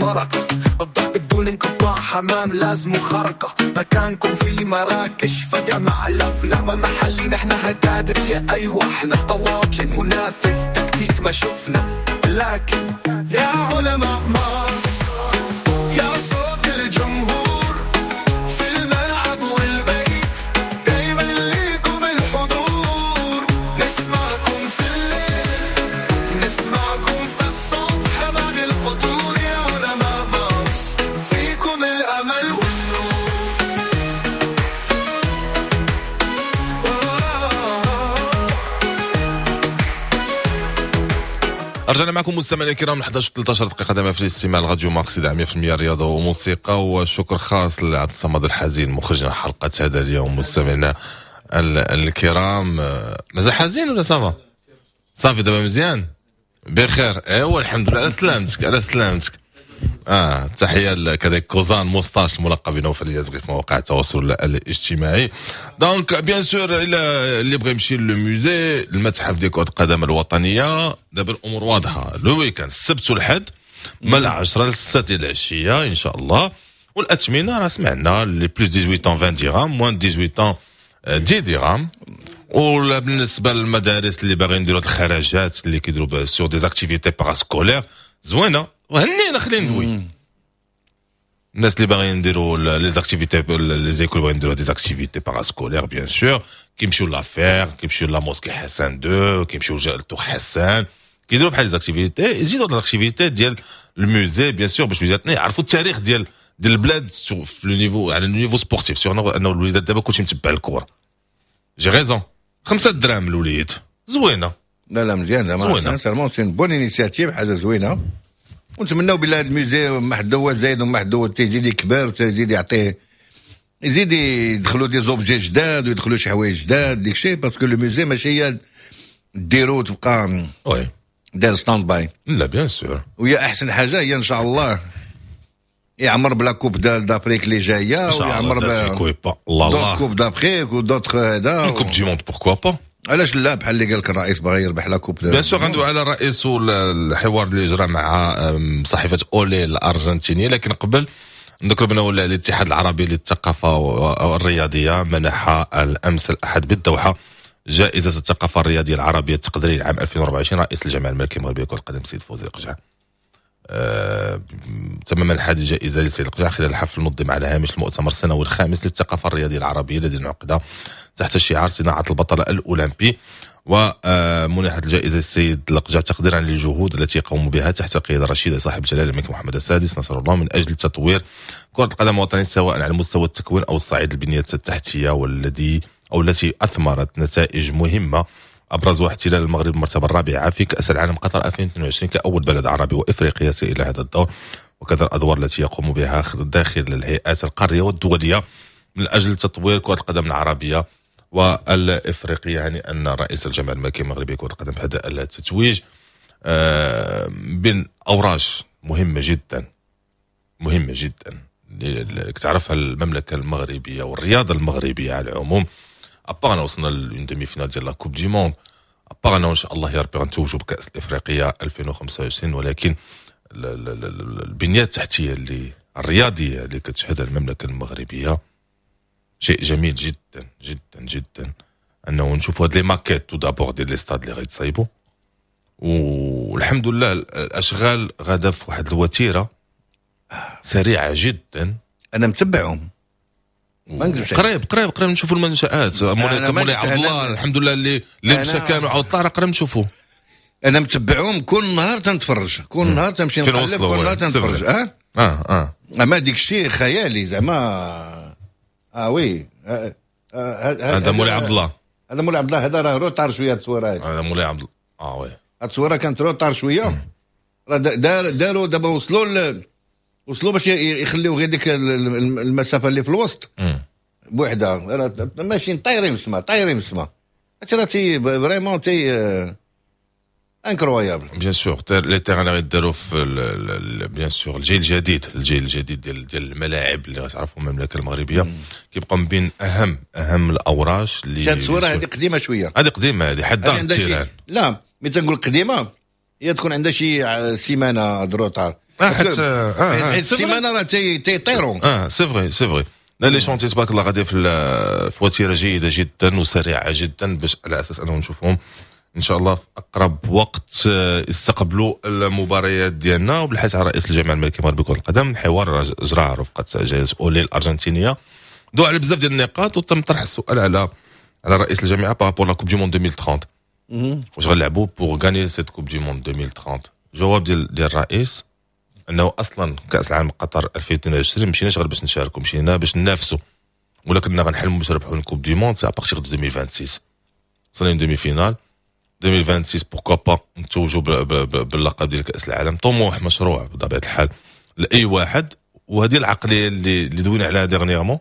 المرقة، الضرب بدون انقطاع، حمام لازم خرقة، مكانكم في مراكش فجمع الأفلام محلي، نحن هكادرية أيوة احنا طواجن، منافذ تكتيك ما شفنا، لكن يا علماء مارس يا صوت الجمهور في الملعب والبيت، دايما ليكم الحضور، نسمعكم في الليل نسمعكم في الصبح بعد الفطور، يا علماء مارس فيكم الأمل والنور. رجعنا معكم مستمعينا الكرام 11 13 دقيقة دائما في الاستماع لراديو مارس 100% رياضة وموسيقى، وشكر خاص لعبد الصمد الحزين مخرجنا حلقة هذا اليوم. مستمعينا الكرام، مازال حزين ولا ça va؟ صافي دابا مزيان بخير، ايوا الحمد لله على سلامتك على سلامتك. تحية كذلك كوزان موستاش الملقب بنوفل اليزغي في مواقع التواصل الاجتماعي. donc bien sûr اللي بغى يمشي le musée المتحف ديال كرة القدم الوطنية، دابا الامور واضحة، le week-end السبت والحد من 10 ل 6 ديال العشية ان شاء الله، والاثمنه راه سمعنا les plus 18 20 درهم، moins 18 10 درهم. ولا بالنسبة للمدارس اللي باغيين يديروا الخرجات اللي كيديروا sur des activités parascolaires زوينة، وهنينا خلينا ندوي الناس اللي باغيين نديروا les activités les écoles باغيين نديروا des activités parascolaires bien sûr، كيمشيو la FER، كيمشيو la mosquée حسن 2، كيمشيو ل tour حسن، كيديروا بحال les activités، يزيدوا l'activité ديال ال musée bien sûr باش وليداتنا يعرفوا التاريخ ديال البلاد في le niveau على ال niveau sportif، surtout انه الوليدات دابا كلشي متبع الكره. j'ai raison، 5 دراهم الوليد زوينة. لا لا مزيان زعما sincèrement c'est bonne initiative، حاجة زوينة، ونتمناو بالله هذا ال musée ما حد هو زايد وما حد هو تيزيد يكبر وتيزيد يعطيه، يزيد يدخلوا des objets جداد ويدخلوا شي حوايج جداد ديك الشيء، parce que le musée ماشي هي ديرو تبقى oui دير stand-by. لا bien sûr، وهي احسن حاجة هي ان شاء الله يعمر ب la coupe d'Afrique اللي جاية، ويعمر ب الله coupe d'Afrique و d'autres هذا coupe du monde pourquoi pas، علاش لا، بحال اللي قال لك الرئيس باغي يربح la coupe. bien sûr عنده على الرئيس الحوار اللي جرى مع صحيفة اولي الارجنتينية. لكن قبل نذكر بانه الاتحاد العربي للثقافة الرياضية منح الامس الاحد بالدوحه جائزة الثقافة الرياضية العربية التقديريه لعام 2024 رئيس الجامعة الملكية المغربية لكرة القدم السيد فوزي القجع. تم منح هذه الجائزة للسيد القجع خلال الحفل المنظم على هامش المؤتمر السنوي الخامس للثقافة الرياضية العربية الذي انعقد تحت شعار صناعة البطل الاولمبي. ومنحت الجائزة للسيد القجع تقديرا للجهود التي قاموا بها تحت قيادة رشيده صاحب الجلاله الملك محمد السادس نصر الله من اجل تطوير كره القدم الوطنية سواء على مستوى التكوين او الصعيد البنية التحتية، والذي او التي اثمرت نتائج مهمة ابرزها احتلال المغرب المرتبة الرابعة في كاس العالم قطر 2022 كاول بلد عربي وافريقي يصل الى هذا الدور، وكذا الادوار التي يقوم بها داخل الهيئات القارية والدولية من اجل تطوير كره القدم العربية والافريقيه. يعني ان رئيس الجامعة الملكية المغربية لكرة القدم هذا التتويج بين اوراش مهمة جدا مهمة جدا تعرفها المملكة المغربية والرياضة المغربية على العموم. à part وصلنا ل une demi-finale ديال la coupe du monde، à part ان شاء الله يا ربي غنتوجوا بكاس الافريقية 2025، ولكن البنيات التحتية اللي الرياضية اللي كتشهدها المملكة المغربية شيء جميل جدا جدا جدا انه نشوفوا هاد les maquettes tout d'abord ديال les stades اللي غيتصايبوا، والحمد لله الاشغال غادا في واحد الوتيره سريعة جدا. انا متبعهم ما نكذبش، قريب قريب قريب نشوفوا المنشآت. مولاي عبد الله الحمد لله اللي مشى كان وعاود طلع قريب نشوفوه. انا متبعهم كل نهار تنتفرج، كل نهار تمشي نقلب، كل نهار تنتفرج. اما ديك الشيء خيالي زعما. oui هذا مولاي عبد الله، هذا مولاي عبد الله، هذا راه retard شوية التصويره هذه. هذا مولاي عبد الله oui التصويره كانت retard شوية، راه داروا دابا وصلوا باش يخليو غير ديك المسافة اللي في الوسط بوحدها، راه ماشيين طايرين في السماء طايرين في السماء. هادشي راه تي vraiment تي incroyable. bien sûr les terrains اللي غيداروا في bien sûr الجيل الجديد، الجيل الجديد ديال الملاعب اللي غتعرفوا المملكة المغربية كيبقى من بين اهم الاوراش اللي. هاد الصورة هذه قديمة شوية، هذه قديمة، هذه حد ال terrain. لا mais تنقول قديمة هي تكون عندها شي سيمانه de retard. حيت السيمانة راه تيطيروا. c'est vrai c'est vrai. لا les chantiers تبارك الله غادي في وتيرة جيدة جدا وسريعة جدا، باش على اساس انه نشوفهم ان شاء الله في اقرب وقت يستقبلوا المباريات ديالنا. وبالحديث على رئيس الجامعة الملكية المغربية لكرة القدم، حوار جرى رفقه جائزة اولي الارجنتينية، دو على بزاف ديال النقاط، وتم طرح السؤال على رئيس الجامعة par rapport la Coupe du monde 2030، واش غنلعبوا pour gagner cette Coupe du monde 2030؟ الجواب ديال الرئيس انه اصلا كاس العالم قطر 2022 مشيناش غير باش نشاركوا، مشينا باش ننافسوا، ولا كنا غنحلموا باش نربحوا Coupe du monde c'est à partir de 2026. وصلنا demi-finale 2026، pourquoi pas نتوجوا باللقب ديال كاس العالم. طموح مشروع بطبيعة الحال لاي واحد، وهذه العقلية اللي دوينا عليها dernièrement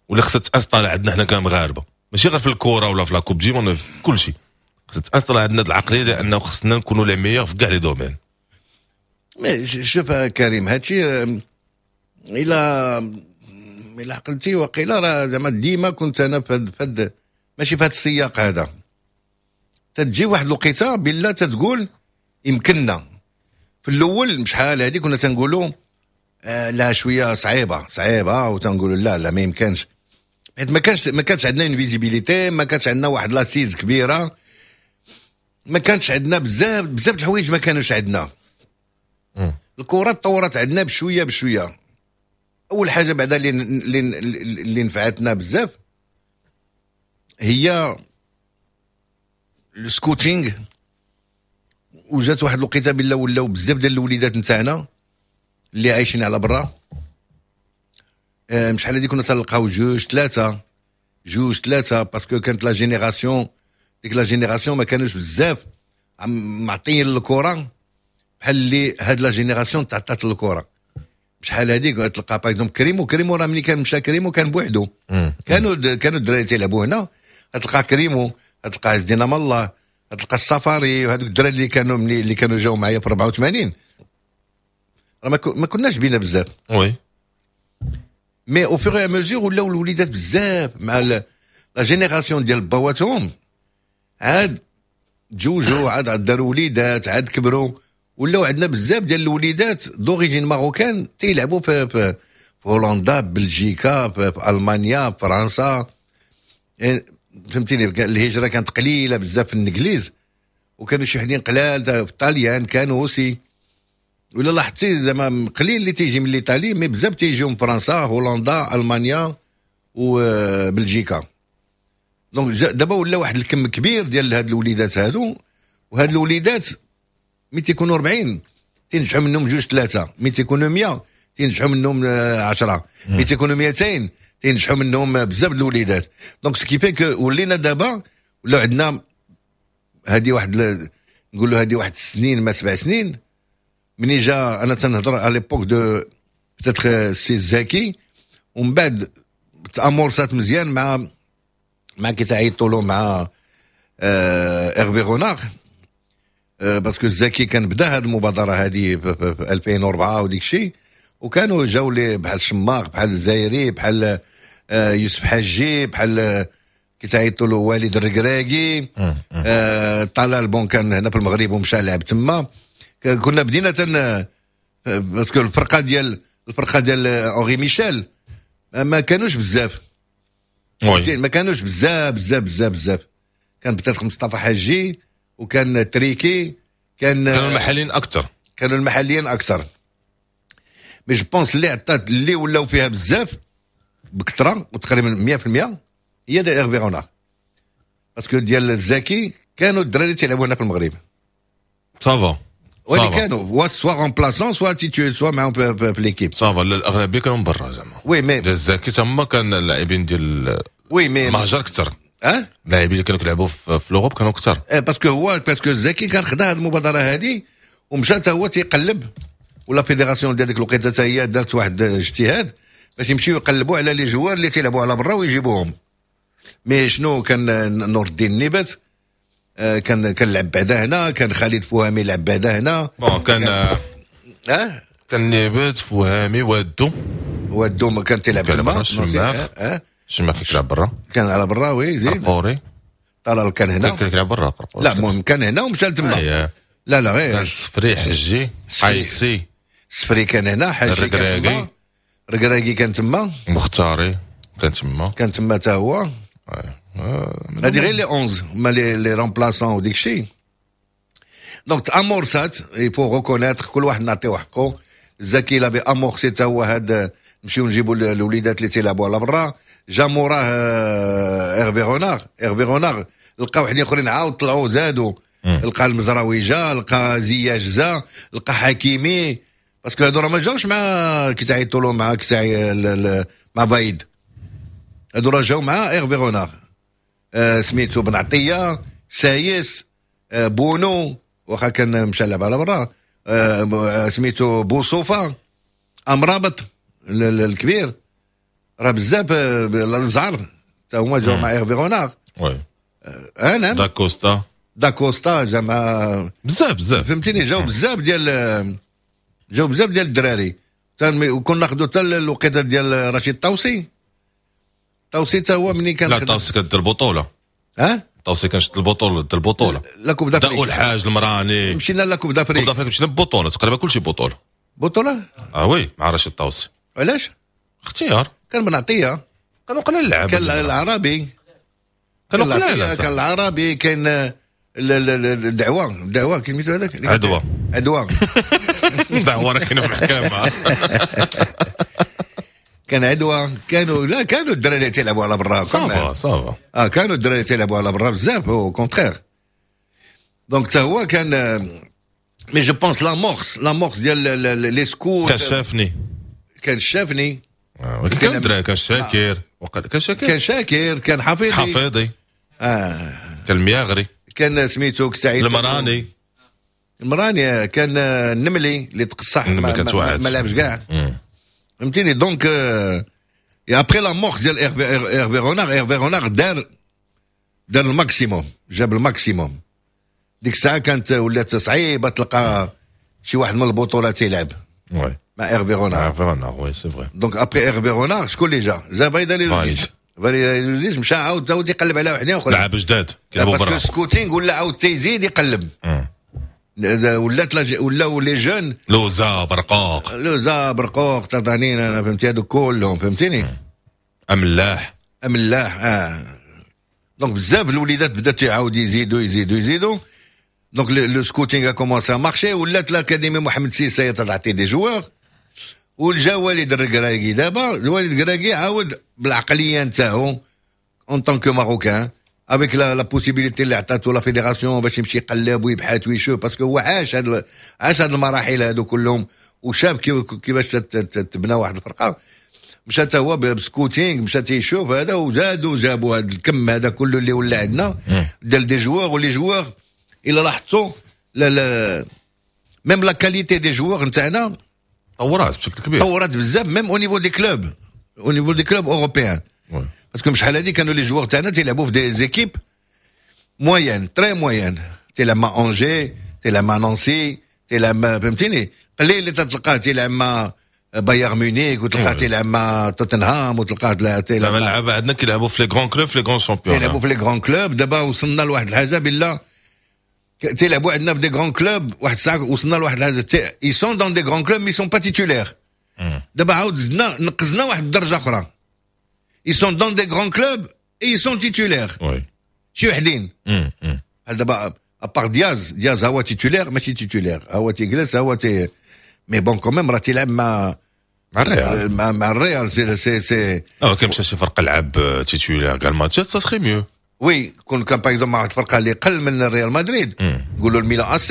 واللي خصها ت installer عندنا حنا كمغاربه، ماشي غير في الكره ولا في la Coupe du monde، في كل شيء خصها ت installer عندنا العقلية ديال انه خصنا نكونوا les meilleurs في كاع les domaines. شوف كريم، هادشي الى عقلتي وقيلا راه زعما ديما كنت انا فهاد ماشي في هذا السياق هذا. تتجي واحد الوقيته بالله تتقول يمكننا. في الاول شحال هذه كنا تنقولوا لا شوية صعيبة صعيبه، وتنقولوا لا لا ما يمكنش، حيت ما كانش عندنا une visibilité، ما كانش عندنا واحد l'assise كبيره، ما كانش عندنا بزاف بزاف الحوايج ما كانوش عندنا. الكره تطورت عندنا بشوية بشويه. اول حاجة بعدا اللي نفعتنا بزاف هي ال scouting، وجات واحد الوقيته بالله ولاو بزاف ديال الوليدات نتاعنا اللي عايشين على برا. شحال هادي كنا تلقاو جوج ثلاثه، جوج ثلاثه، parce que كانت la génération، ديك la génération ما كانوش بزاف معطيين الكره بحال اللي هاد la génération تعطات الكره. شحال هذيك تلقى par exemple كريمو، كريمو راه ملي كان مشى كريمو كان بوحدو. كانوا الدراري تيلعبوا هنا، تلقى كريمو، تلقى عز الدين الله، تلقى السفاري، وهذوك الدراري اللي كانوا ملي اللي كانوا جاوا معايا في 84 راه ما كناش بينا بزاف. Mais au fur et à mesure ولاو الوليدات بزاف مع la génération ديال بواتهم، عاد تزوجوا، عاد داروا وليدات، عاد كبروا، ولاو عندنا بزاف ديال الوليدات d'origine marocaine تيلعبوا في هولندا، بلجيكا، في المانيا، في فرنسا. إيه، فهمتيني؟ الهجرة كانت قليله بزاف في الانجليز، وكانوا شي وحدين قلال في الطاليان كانوا aussi. ولا لاحظتي زعما قليل اللي تيجي من l'Italie، mais بزاف تيجيو من فرنسا، هولندا، المانيا وبلجيكا. donc دابا ولا واحد الكم كبير ديال هاد الوليدات هادو، وهاد الوليدات ملي تيكونوا 40 تنجحوا منهم جوج ثلاثه، ملي تيكونوا 100 تنجحوا منهم 10، ملي تيكونوا 200 تنجحوا منهم بزاف الوليدات. donc ce qui fait que ولينا دابا ولا عندنا هذه واحد نقولوا هذه واحد سنين ما 7 سنين مني جا، انا تنهضر على l'époque de peut-être سي زكي، ومن بعد ت amorçات مزيان مع كي تعيطوا له مع Hervé Renard، parce que الزكي كان بدا هذه المبادرة هذه في 2004 وديك الشيء، وكانوا جاو لي بحال شماخ، بحال الزايري، بحال يوسف حجي، بحال كي تعيطوا له وليد الركراكي، طلال bon كان هنا في المغرب ومشى لعب تما. كنا بدينا تن parce que الفرقه ديال Henri Michel ما كانوش بزاف، ما كانوش بزاف بزاف بزاف بزاف. كان peut-être مصطفى حجي وكان تريكي. كان كانوا المحليين اكثر. كانوا المحليين اكثر، mais je pense اللي عطات اللي ولاو فيها بزاف بكثرة وتقريبا 100% هي ديال Hervé Renard، parce que ديال الزكي كانوا الدراري تيلعبوا هنا في المغرب. ça va. واللي كانوا soit remplaçants، soit titulaires، soit معاهم في l'équipe. ça va، الاغلبية كانوا من برا زعما. oui mais ديال الزكي تما كان اللاعبين ديال oui mais المهجر اكثر. اه اللاعبين اللي كانوا كيلعبوا في l'Europe كانوا اكثر. parce que هو parce que الزكي كان خدا هذه المبادرة هذه ومشى حتى هو تيقلب، و la fédération ديال ديك الوقيته حتى هي دارت واحد الاجتهاد باش يمشيو يقلبوا على les joueurs اللي تيلعبوا على برا ويجيبوهم. mais شنو كان نور الدين النيبت كان لعب بعدا هنا، كان خالد فوهامي لعب بعدا هنا. bon كان اه كان نيبت، فوهامي، وادو. وادو ما كان تيلعب تما. الشماخ. الشماخ كيلعب برا. كان على برا، oui زيد. قرقوري. طلال كان هنا. كان كيلعب برا قرقوري. لا المهم كان هنا ومشى لتما. لا لا غير كان سفري، حجي، قيسي. السفري كان هنا، حاجي كان تما، الركراكي كان تما، مختاري كان تما، كان تما حتى هو. هادي غير les 11، ما les remplaçants وديك الشيء. donc تامورسات، il faut reconnaître، كل واحد نعطيو حقه. الزكي l'avait amorcé تا هو هاد نمشيو نجيبوا الوليدات اللي تيلعبوا على برا. جا موراه Hervé Renard، Hervé Renard لقى وحدين اخرين عاود طلعوا زادوا، لقى المزراوي جا، لقى زياش جا، لقى حكيمي، parce que هادو راه ما جاوش مع كي تعيطوا لهم مع كي مع فايد، هادو راه جاو مع Hervé Renard. سميتو بن عطيه، سايس، بونو واخا كان مشى لعب على برا، سميتو بوصوفه، امرابط الكبير، راه بزاف، الزعر حتى هما جاو مع Hervé Renard. oui. انا داكوستا، داكوستا جا مع بزاف بزاف، فهمتيني؟ جاو بزاف ديال الدراري. وكنا ناخذوا حتى الوقيته ديال رشيد طوسي، طوسي حتى هو ملي كان لا، طوسي كدير البطوله. ها. طوسي كان شد البطوله، دار البطوله. la Coupe d'Afrique. الحاج المراني. مشينا la Coupe d'Afrique. Coupe d'Afrique مشينا ببطوله، تقريبا كلشي بطوله. بطوله. اه oui، مع رشيد طوسي. علاش؟ اختيار. كان بن عطيه. كانوا قلال اللعب. كان العربي. كانوا قلال. كان العربي، كان الدعوه، الدعوة كي سميتو هذاك. عدوى. عدوى. دعوه راه كاينه في المحكمه. كان عدوى، كانوا، لا، كانوا الدراري تيلعبوا على برا. ça va، ça va. اه، كانوا الدراري تيلعبوا على برا بزاف، au contraire. donc حتى هو كان، mais je pense l'amorce ديال les scouts. كان شافني. كان شافني. كان الدراري، كان شاكر، كان شاكر. كان شاكر، كان حفيظي. حفيظي. كان المياغري. كان سميتو كتاعي. المراني. المراني، كان النملي اللي تقصح، ما لعبش كاع، فهمتيني؟ donc après l'amorce ديال Hervé Renard، Hervé Renard دار ال maximum، جاب ال maximum. ديك الساعة كانت ولات صعيبة تلقى شي واحد من البطولات يلعب مع Hervé Renard. Hervé Renard، oui، c'est vrai. donc après Hervé Renard شكون اللي جا؟ جا فايد هاليلوزيتش. فايد هاليلوزيتش مشى عاود عاود يقلب على وحدين اخرين. لعب جداد كيلعبوا برا، parce que scouting ولا عاود تيزيد يقلب، ولات ولاو les jeunes. لوزا، برقوق. لوزا، برقوق، تطانين، انا فهمتي، هادو كلهم، فهمتيني؟ املاح. املاح، اه. donc بزاف الوليدات بدات يعاود يزيدوا يزيدوا يزيدوا. donc le scouting a commencé à marcher، ولات l'académie محمد السادس تعطي des joueurs. وجا وليد الركراكي. دابا وليد الركراكي عاود بالعقليه نتاعو en tant que marocain، avec la possibilité اللي عطاتو la fédération باش يمشي يقلب ويبحث ويشوف، parce que هو عاش هاد المراحل هادو كلهم وشاف كيفاش تبنى واحد الفرقه. مشى حتى هو ب scouting، مشى تيشوف هذا، وزادوا جابوا هذا الكم هذا كله اللي ولا عندنا ديال des joueurs. و les joueurs الا لاحظتوا، لا لا، même la qualité des joueurs نتاعنا طورات بشكل كبير. طورات بزاف، même au niveau des clubs، au niveau des clubs européens، parce que شحال هادي كانوا les joueurs تاعنا تيلعبوا في des équipes moyennes، très moyennes، تيلعب مع Angers، تيلعب مع نانسي، تيلعب مع، فهمتيني، قليل اللي تلقاه تيلعب مع بايرن ميونيك وتلقاه تيلعب مع توتنهام وتلقاه تيلعب. دابا اللعابه عندنا كيلعبوا في les grands clubs، في les grands championnats. تيلعبوا في les grands clubs. دابا وصلنا لواحد الحاجة بالله تيلعبوا عندنا في des grands clubs. واحد الساعة وصلنا لواحد الحاجه، ils sont dans des grands clubs mais sont pas titulaires. دابا عاود زدنا نقزنا واحد الدرجة اخرى، ils sont dans des grands clubs et ils sont titulaires. شي وحدين بحال دابا à part دياز، دياز هو titulaire، ماشي titulaire، هو تيجلس، هو تي mais bon quand même راه تيلعب مع مع الريال. مع الريال، c'est اه، كان مشى شي فرقه لعب titulaire كاع الماتشات، ça serait mieux. oui، كون كان par exemple مع واحد الفرقة اللي قل من الريال مدريد، نقولوا الميلان AC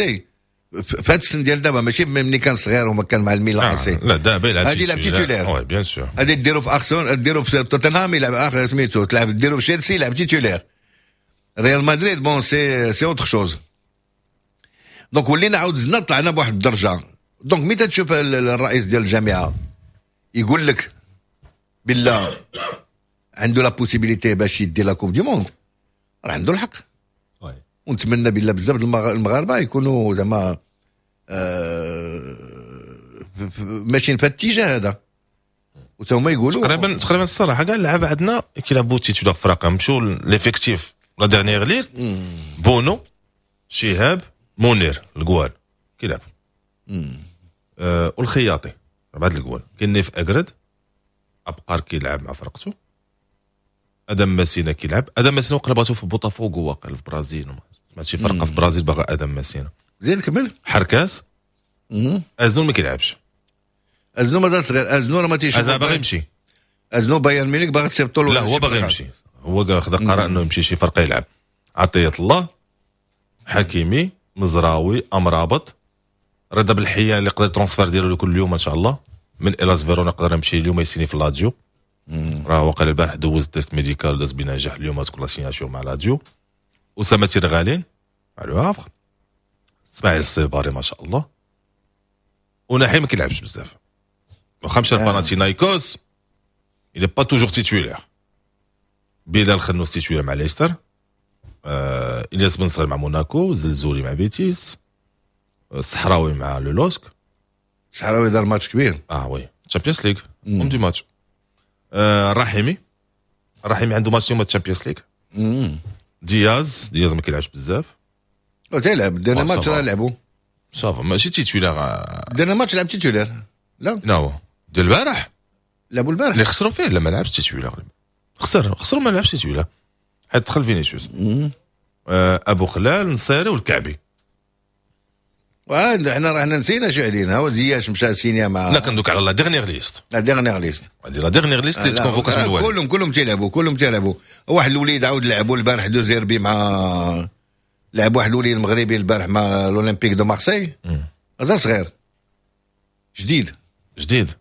في هذا السن ديال دابا، ماشي ملي كان صغير وما كان مع الميلان AC. لا، دابا يلعب. هذه يلعب titulaire. oui، bien sûr. هذه ديرو في ارسنال، ديرو في توتنهام يلعب، اخر سميتو تلعب، ديرو في تشيلسي يلعب titulaire. ريال مدريد bon c'est autre chose. donc ولينا عاود زدنا طلعنا بواحد الدرجه. donc ملي تشوف الرئيس ديال الجامعة يقول لك بالله عنده la possibilité باش يدي la Coupe du monde، راه عنده الحق. ونتمنى بالله بزاف المغاربة يكونوا زعما ماشيين في الاتجاه هذا وتا هما يقولوا. تقريبا تقريبا الصراحة كاع اللعابه عندنا كيلعبوا titulaires فراقه. نمشيو l'effectif، la dernière liste: بونو، شهاب، منير الكوال كيلعبوا. والخياطي 4 الجوال. كاين نيف اكرد ابقار كيلعب مع فرقته، ادم ماسينا كيلعب. ادم ماسينا وقع بغاتو في بوتافوغو واقع في البرازيل، سمعت شي فرقه في البرازيل باغا ادم ماسينا. زيد كمل. حركاس ازنو ما كيلعبش، ازنو مازال صغير، ازنو راه ما تيشوف، ازنو باغي يمشي، ازنو بايرن ميونخ باغي تصيفطو. لا هو باغي يمشي، هو خدا قرار انه يمشي شي فرقه يلعب. عطية الله، حكيمي، مزراوي، امرابط، رضا بالحيان اللي يقدر transfert ديالو كل يوم ان شاء الله من الاس فيرونا، يقدر يمشي اليوم يسيني في لاتزيو. راه وقع البارح دوز test médical داز بنجاح، اليوم تكون la signature مع لاتزيو. اسامة تيرغالين مع لو هافر، اسماعيل الصيباري ما شاء الله. وناحي ما كيلعبش بزاف، واخا مشى لباناتينايكوس il est pas toujours titulaire. بلال خنوس titulaire مع ليستر، الياس بن صغير مع موناكو، زلزولي مع بيتيس، الصحراوي مع لولوسك. الصحراوي دار ماتش كبير. oui Champions League homme du match. الرحيمي، الرحيمي عنده ماتش اليوم Champions League. دياز ما كيلعبش بزاف. تيلعب دينا ماتش راه لعبوا ça va ماشي titulaire، دينا ماتش لعب titulaire. لا لا ديال البارح لعبوا البارح اللي خسروا فيه، لا ما لعبش titulaire، خسروا ما لعبش titulaire حيت دخل فينيسيوس. ابو خلال، نصيري والكعبي. حنا راه نسينا شي علينا، هو زياش مشى سينيا مع، لا كندوك على la dernière liste، la dernière liste هذه la dernière liste اللي تكونفوكات من الوالد. كلهم تيلعبوا، كلهم تيلعبوا. واحد الوليد عاود لعبوا البارح دو زيربي مع، لعب واحد الوليد المغربي البارح مع l'Olympique de Marseille، مازال صغير جديد.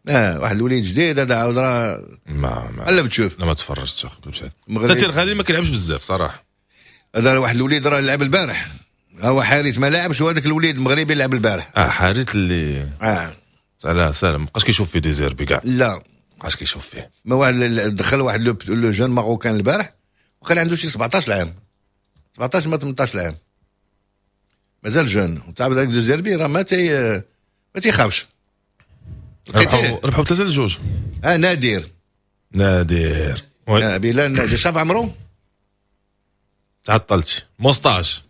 واحد الوليد جديد هذا عاود راه ما قلب تشوف. لا ما تفرجتش حتى الغالي ما كيلعبش بزاف صراحة. هذا واحد الوليد راه لعب البارح، هو حارث ما لعبش، وهذاك الوليد المغربي لعب البارح. حارث اللي لا سلام ما بقاش كيشوف فيه ديزيربي كاع. لا ما بقاش كيشوف فيه. ما واحد دخل واحد le jeune marocain البارح وكان عنده شي 17 عام، 17 ما 18 عام، مازال jeune. وتعرف داك ديزيربي راه ما تيخافش. ربحوا 3-2. نادر بلال نادر شاف عمرو تعطلتي moustache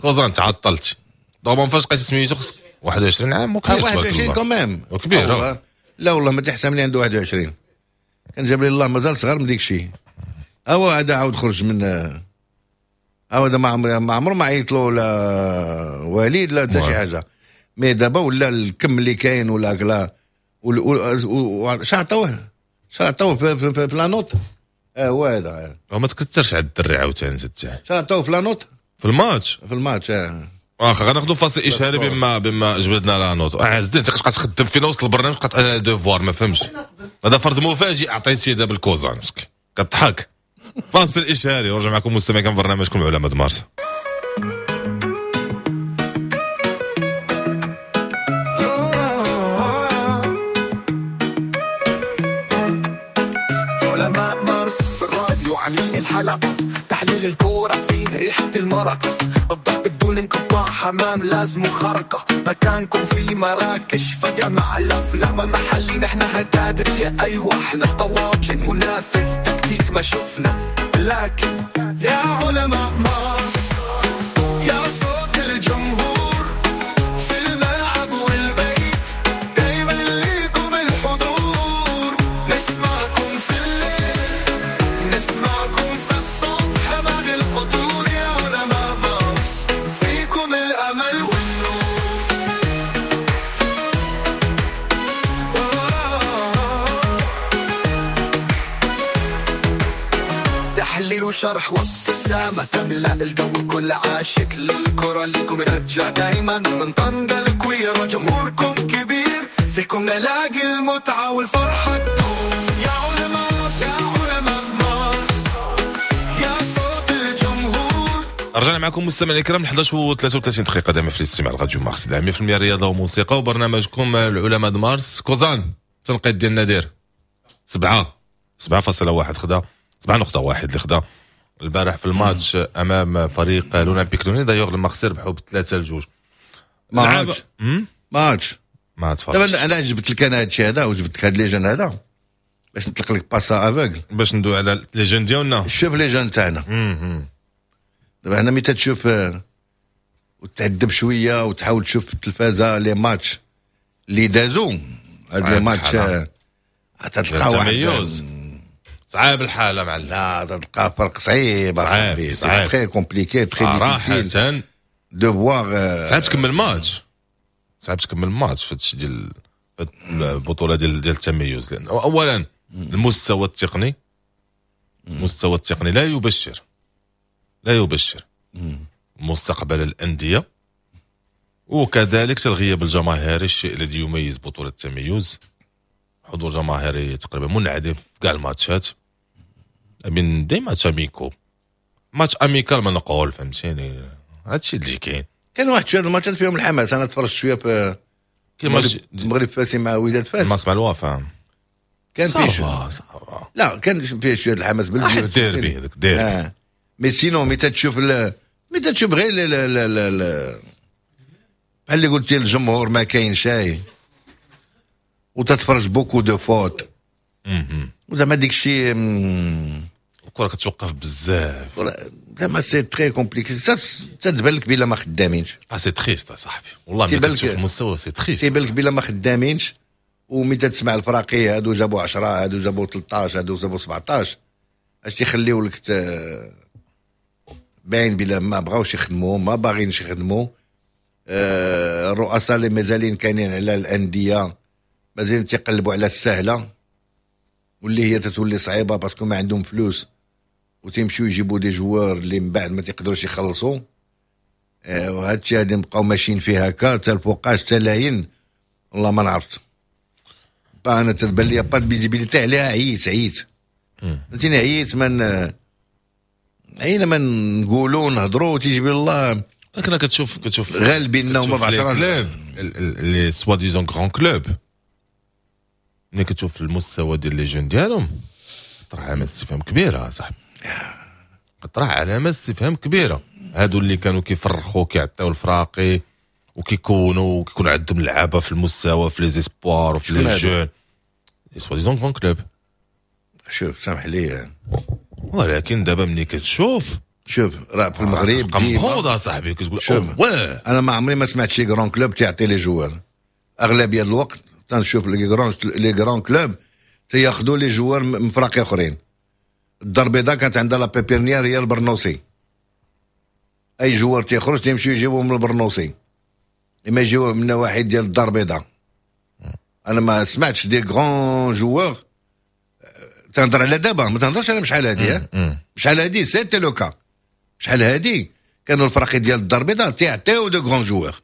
كوزان تعطلتي دوما فاش قيس سميتو خصك 21 عام وكبير. 21 quand même كبير. لا والله ما تحسب لي عنده 21، كان جاب لي الله مازال صغير من ديك الشيء. هو هذا عاود خرج من، هو هذا ما عمرو ما عيط له لا وليد لا حتى شي حاجة. mais دابا ولا الكم اللي كاين ولا لا شعطوه في la note. هو هذا ما تكثرش على الدري عاوتاني تاع شعطوه في la note في الماتش. واخا غناخذوا فاصل اشهاري بما جبدنا la note. عز الدين انت كتبقى تخدم فينا وسط البرنامج، بقات انا devoir ما فهمش. هذا فرض مفاجئ عطيتيه دابا الكوزان مسكين كضحك. فاصل اشهاري ورجع معكم مستمعين كان برنامجكم علماء مارس. علماء مارس في الراديو عاملين الحلقة، تحليل الكورة فيه ريحة المرق، الضرب بدون انقطاع، حمام لازم خرقة، مكانكم في مراكش فجأة مع الأفلام محلي، نحن هتادرية أيوة احنا طواجن منافذ تكتيك ما شفنا، لكن يا علماء مارس يا صوت الجمهور في الملعب والبيت، دايما ليكم الحضور، نسمعكم في الليل نسمعكم في الصبح بعد الفطور، يا علماء مارس فيكم الأمل والنور. تحليل وشرح وابتسامة تملأ الجو، كل عاشق للكرة لكم رجع دايما من طنجة الكويرة، جمهوركم كبير فيكم نلاقي المتعة والفرحة تدوم. يا علماء يا علماء مارس يا صوت الجمهور. رجعنا معكم مستمعينا الكرام 11:33 دقيقة دائما في الاستماع لراديو مارس 100% رياضة وموسيقى وبرنامجكم العلماء مارس. كوزان تنقيط ديال نادر 7.1 خدا 7.1 اللي خدا البارح في الماتش امام فريق l'Olympique Lyonnais. d'ailleurs لما خسر ربحوا ب3-2. ماتش دابا انا جبت لك انا هادشي هذا وجبت لك هاد les jeunes هذا باش نطلق لك passe aveugle باش ندوي على les jeunes ديالنا. شوف les jeunes تاعنا دابا حنا ملي تتشوف وتعذب شوية وتحاول تشوف في التلفازه les matchs اللي دازو هاد صعيب les matchs الحال. تلقى واحد التميز. صعيب الحالة معلم. لا، تلقى فرق صعيب. صعيب، صاحبي. صعيب. très compliqué، très صراحه. difficile de voir. صعيب تكمل ماتش، صعيب تكمل ماتش في هادشي ديال في البطولة ديال التميز، لان اولا المستوى التقني لا يبشر، لا يبشر مستقبل الانديه، وكذلك الغياب الجماهيري، الشيء الذي يميز بطوله التميز، حضور جماهيري تقريبا منعدم في كاع الماتشات، من des matchs amicaux، match amical ما نقول، فهمتيني؟ هادشي اللي كاين. كان واحد شوية الماتشات فيهم الحماس، انا تفرجت شوية في كيما المغرب فاسي مع وداد فاس. ماتش مع الوفا. كان فيه ça va، ça va. لا، كان فيه شوية الحماس. واحد ديربي، هذاك ديربي. Mais sinon مي تتشوف غير لا لا لا لا لا، بحال اللي قلتي، الجمهور ما كاين شاي وتتفرج beaucoup de fautes وزعما ديك الشيء. الكره كتوقف بزاف. زعما c'est très compliqué، تتبان لك بلا ما خدامينش. اه c'est triste صاحبي، والله ملي تيبان لك- كتشوف المستوى c'est triste. تيبان لك بلا ما خدامينش، وملي تسمع الفراقي هادو جابوا 10، هادو جابوا 13، هادو جابوا 17، اش تيخليو لك؟ باين بلا ما بغاوش يخدموا، ما باغينش يخدموا. الرؤساء اللي مازالين كاينين على الاندية مازالين تيقلبوا على السهله، واللي هي تتولي صعيبة parce que ما عندهم فلوس، وتيمشيو يجيبوا des joueurs اللي من بعد ما تيقدروش يخلصوا. وهذا الشيء غادي نبقاو ماشيين فيه هكا حتى الفوقاش حتى لاين، والله ما نعرفت. انا تتبان لي pas de visibilité عليها. عييت عييت، فهمتيني؟ عييت من عينا ما نقولوا نهضروا، تيجي الله. لكن كتشوف غالبين هما كتشوف les بعشرة. clubs، les soi-disant grands clubs، ملي كتشوف المستوى ديال les jeunes ديالهم طرح علامة استفهام كبيرة صاحبي، طرح علامة استفهام كبيره. هادو اللي كانوا كيفرخوا، كيعطيو الفراقي وكيكونوا وكيكون عندهم لعابه في المستوى في les espoirs وفي شكون les هادو؟ jeunes، les soi-disant grands clubs. شوف، سامح لي. ولكن دابا ملي كتشوف شوف، راه في المغرب تبقى ديما مبهوض صاحبي، كتقول شوف. واه. انا ما عمري ما سمعت شي grand club تيعطي les joueurs. اغلبية الوقت تنشوف les grands clubs تياخذوا les joueurs من فراقي اخرين. الدار البيضاء كانت عندها la pépinière هي البرنوسي، اي joueur تيخرج تيمشيو يجيبوه من البرنوسي، اما يجيوه من نواحي ديال الدار البيضاء. انا ما سمعتش des grands joueurs، تنهضر على دابا، ما تنهضرش على شحال هادي. شحال هادي c'était le cas، شحال هادي كانوا الفراقي ديال الدار البيضاء تيعطيو de grands joueurs.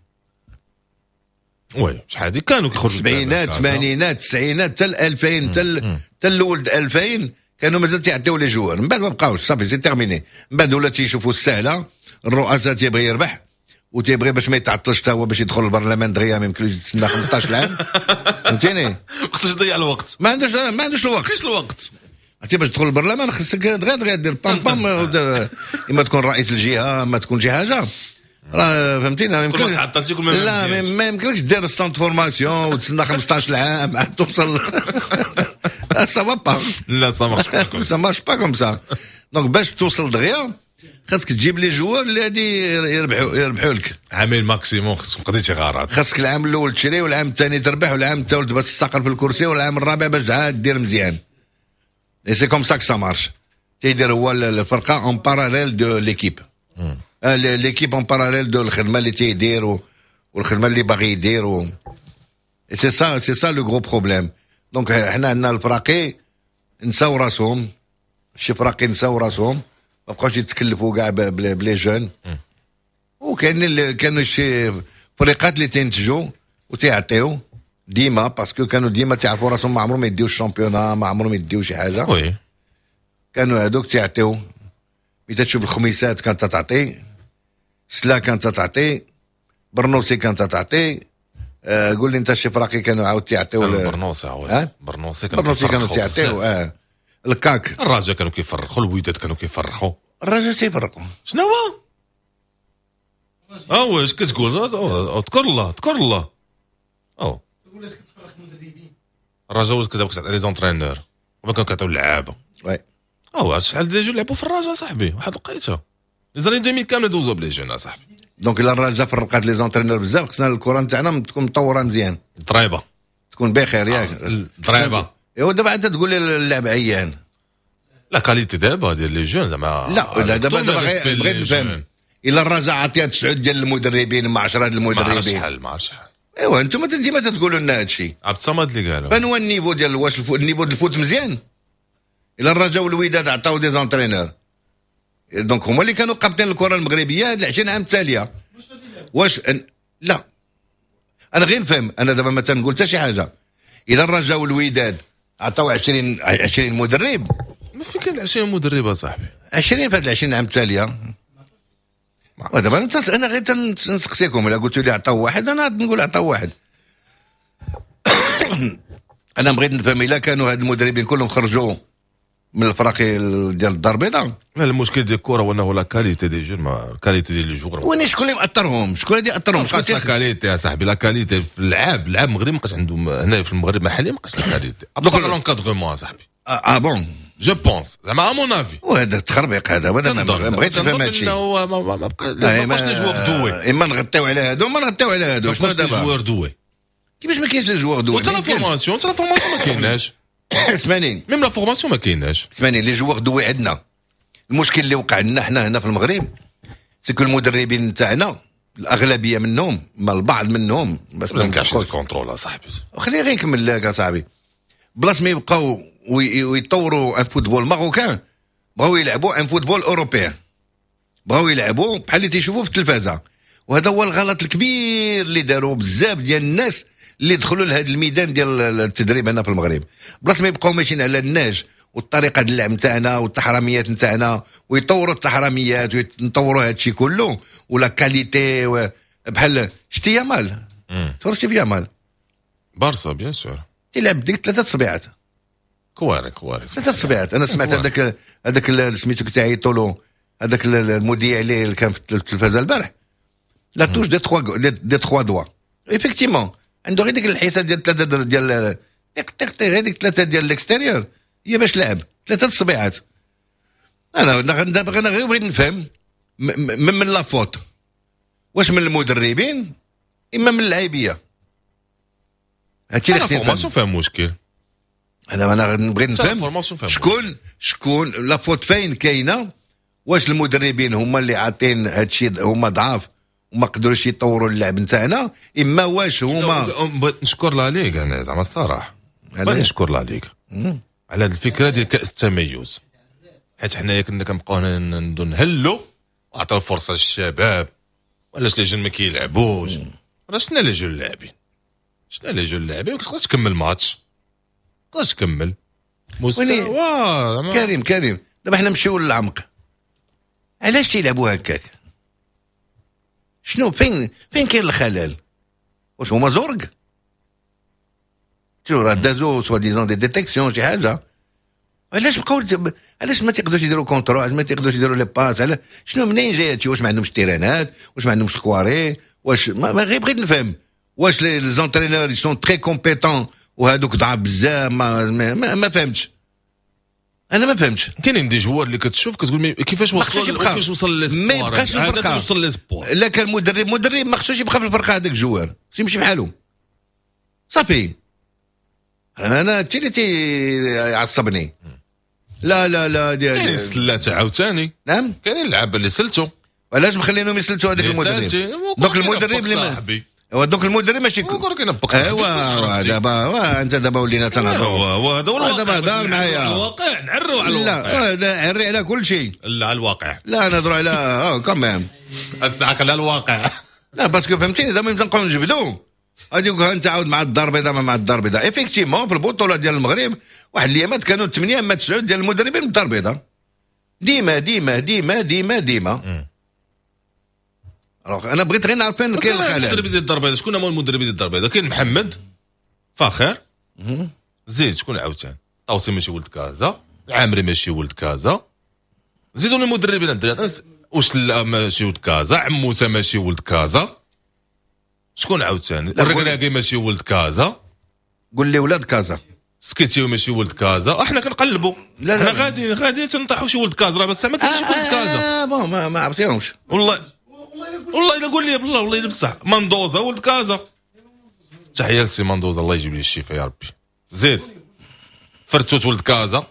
oui، شحال هادي كانوا كيخرجوا. السبعينات، الثمانينات، التسعينات، حتى 2000، حتى الاول 2000 كانوا مازال تيعطيو les joueurs. من بعد ما بقاوش، صافي، c'est terminé. من بعد ولا تيشوفوا السهله، الرؤساء تيبغي يربح وتيبغي باش ما يتعطلش حتى هو باش يدخل البرلمان دغيا، ما يمكنلوش يتسنى 15 عام، فهمتيني؟ خصوش يضيع الوقت. ما عندوش الوقت. كاينش الوقت. عرفتي، باش تدخل البرلمان خصك دغيا دغيا دير بام بام، اما تكون رئيس الجهه، ما تكون شي حاجه، راه فهمتيني؟ ما كل ما يمكنلكش تعطلتي كل ما لا مزيانش. ما يمكنلكش دير centre formation وتسنى 15 عام عاد توصل، ça va pas. لا، ça marche. ça marche pas comme ça. donc باش توصل دغيا خاصك تجيب les joueurs اللي غادي يربحوا لك. عامين maximum خصك قضيتي غرض. خاصك العام الاول تشري، والعام الثاني تربح، والعام الثالث باش تستقر في الكرسي، والعام الرابع باش عاد دير مزيان. et c'est comme ça que ça marche. تيدير هو الفرقة en parallèle de l'équipe، l'équipe en parallèle de الخدمة اللي تيدير والخدمة اللي باغي يدير و c'est ça le gros problème. donc حنا عندنا الفراقي نساو راسهم، شي فراقي نساو راسهم، ما بقاوش يتكلفوا كاع ب les jeunes. وكاين اللي كانوا شي فريقات اللي تينتجوا وتيعطيو ديما، parce que كانوا ديما تيعرفوا راسهم ما عمرهم ما يديو ال championnat، ما عمرهم يديو شي حاجه. كانوا هذوك تيعطيو. ملي تشوف الخميسات كانت تعطي، سلا كانت تعطي، برنوسي كانت تعطي، قول لي انت شي فراقي كانوا عاود تيعطيو. برنوسي عاود برنوسي. كانوا برنوسي كانوا تيعطيو، الكاك. الرجاء كانوا كيفرخوا، الوداد كانوا كيفرخوا. الرجاء تيفرقوا. شنو هو؟ اه واش كتقول؟ اذكر الله، اذكر الله. او ولات كتفرخ مدربين. الرجاء ولات كتعطي les entraîneurs وما كانوا كيعطيو اللعابه. oui. اه شحال des jeunes لعبوا في الرجاء صاحبي، واحد الوقيته les années 2000 كاملة دوزو ب les jeunes صاحبي. donc الا الرجاء فرقات les entraîneurs بزاف، خصنا الكره نتاعنا تكون مطوره مزيان، ضريبة تكون بخير ياك. ضريبة. ايوا دابا انت تقول لي اللعب عيان، la qualité دابا ديال les jeunes زعما. لا لا، دابا بغيت نفهم الا الرجاء عطيها 9 ديال المدربين مع 10 ديال ما عرفتش المدربين. شحال، ما عرفتش شحال. ايوا انتم ديما تتقولوا لنا هادشي. عبد الصمد اللي قالوا فين هو ال niveau ديال، واش ال niveau ديال ال foot مزيان؟ الا الرجاء والوداد عطاو des entraîneurs، donc هما اللي كانوا قابطين الكره المغربية هاد 20 عام التاليه، واش لا انا غير نفهم. انا دابا ما تنقول حتى شي حاجة. اذا الرجاء والوداد عطاو 20 مدرب، ما في كاين 20 مدرب اصاحبي. 20 في هاد 20 عام التاليه. ودابا انا غير تنسقسيكم، الا قلتوا لي عطاو واحد انا نقول عطاو واحد. انا بغيت نفهم الا كانوا هاد المدربين كلهم خرجوا من الفرق ديال الدار البيضاء. لا، المشكل ديال الكره هو انه la qualité des jeunes، ما qualité ديال les joueurs. وين شكون اللي مأثرهم؟ شكون اللي يأثرهم؟ شكون la qualité يا صاحبي، la qualité في اللعاب، اللعاب المغربي ما بقاش عندهم هنا في المغرب محلي، ما بقاش la qualité donc l'encadrement صاحبي. اه bon. je pense زعما à mon avis. وهذا التخربيق هذا، وهذا ما بغيتش نفهم هذا الشيء. ما بقاش les joueurs doués. اما نغطيو على هادو ما نغطيو على هادو. شنو دابا les joueurs doués؟ كيفاش ما كاينش les joueurs doués؟ وحتى la formation، حتى la formation ما كايناش. اسمعني، même la formation ما كايناش. اسمعني، les joueurs doués عندنا. المشكل اللي وقع لنا حنا هنا في المغرب c'est que المدربين تاعنا الاغلبية منهم، ما البعض منهم، باش ما كاينش contrôle اصاحبي. خليني غير نكمل لك اصاحبي. بلاص ما يبقاو ويطوروا un football marocain، بغاو يلعبوا un football européen، بغاو يلعبوا بحال اللي تيشوفوا في التلفازه. وهذا هو الغلط الكبير اللي داروا بزاف ديال الناس اللي دخلوا لهذا الميدان ديال التدريب هنا في المغرب. بلاص ما يبقاو ماشيين على النهج والطريقة ديال اللعب نتاعنا والتحرميات نتاعنا، ويطوروا التحرميات ويطوروا هذا الشيء كله و la qualité بحال شتي يامال، تفرجتي في يامال؟ بارسا bien sûr. تيلعب ديك ثلاثة صبيعات. كواري كواري. ثلاثة صبيعات. انا سمعت هذاك سميتو كتعيطوا له، هذاك المذيع اللي كان في التلفازه البارح، la touche des trois doigts، effectivement عنده غير ديك الحيسه ديال ثلاثة ديال تيق تيق تيق، غير ديك ثلاثة ديال l'extérieur هي باش لعب ثلاثة صبيعات. انا دابا انا غير بغيت نفهم من la faute، واش من المدربين اما من اللعيبيه؟ هادشي اللي خصني نفهم. فيها مشكل. انا بغيت نفهم شكون la faute فين كاينه، واش المدربين هما اللي عاطين هادشي، هما ضعاف وما قدروش يطوروا اللعب نتاعنا، اما واش هما. بغيت نشكر la ligue انا زعما الصراحة، بغيت نشكر la ligue على الفكرة ديال كاس التميز، حيت حنايا كنا كنبقاو هنا نهلو وعطاو الفرصة للشباب، وعلاش les jeunes ما كيلعبوش؟ راه شفنا les jeunes اللاعبين، شفنا les jeunes اللاعبين، ما كتقدرش تكمل ماتش، تقدرش تكمل مستوى. كريم كريم، دابا حنا نمشيو للعمق، علاش تيلعبوا هكاك؟ شنو فين كاين الخلل؟ واش هما زرق؟ شو راه دازو soi-disant des détections شي حاجة. علاش بقاو، علاش ما تيقدروش يديروا contrôle؟ علاش ما تيقدروش يديروا les passes؟ علاش شنو منين جاي هادشي؟ واش ما عندهمش تيرانات؟ واش ما عندهمش الكواري؟ واش ما غير بغيت نفهم واش les entraîneurs sont très compétents وهادوك ضعاف بزاف؟ ما, ما, ما فهمتش انا، ما فهمتش. كاينين des joueurs اللي كتشوف كتقول كيفاش وصل، كيفاش وصل les ما يبقاش في الفرقة، وصل les espoirs. لا كان مدرب ما خصوش يبقى في الفرقة، هذاك joueur خصو يمشي بحالو صافي. انا هادشي اللي تيعصبني. لا لا لا ديال كاين سلات عاوتاني. نعم كاينين اللعابه اللي سلتو. علاش مخلينهم يسلتوا هذاك المدرب؟ donc المدرب اللي donc المدرب ماشي ايوا دابا انت دابا ولينا تنهضروا. هذا هو دابا هضر معايا الواقع، نعروا على الواقع. لا عري على كل شيء. لا على الواقع، لا نهضروا على quand même الساعة خليها الواقع. لا parce que فهمتيني، دابا نبقاو نجبدو هذيك انت عاود مع الدار البيضاء، مع الدار البيضاء effectivement في البطولة ديال المغرب واحد الايامات كانوا 8 اما 9 ديال المدربين من الدار البيضاء، ديما ديما ديما ديما ديما. انا بغيت غير نعرف فين كاين الخلل. المدرب ديال الدار البيضاء شكون هما المدربين ديال الدار البيضاء؟ كاين محمد فاخر، زيد شكون عاوتاني؟ طاوسي ماشي ولد كازا، العامري ماشي ولد كازا، زيدوا المدربين الدراري، واش لا ماشي ولد كازا، عموتة ماشي ولد كازا، شكون عاوتاني؟ الركراكي ماشي ولد كازا. قول لي ولاد كازا. سكيتيو ماشي ولد كازا. احنا كنقلبوا، لا لا حنا غادي غادي تنطيحوا شي ولد كازا، راه بس ما كاينش ولد كازا. bon ما عرفتيهمش والله. والله الا والله الا قول لي بالله، والله الا بصح مندوزا ولد كازا. تحية لسي مندوزا، الله يجيب لي الشفاء يا ربي. زيد فرتوت ولد كازا.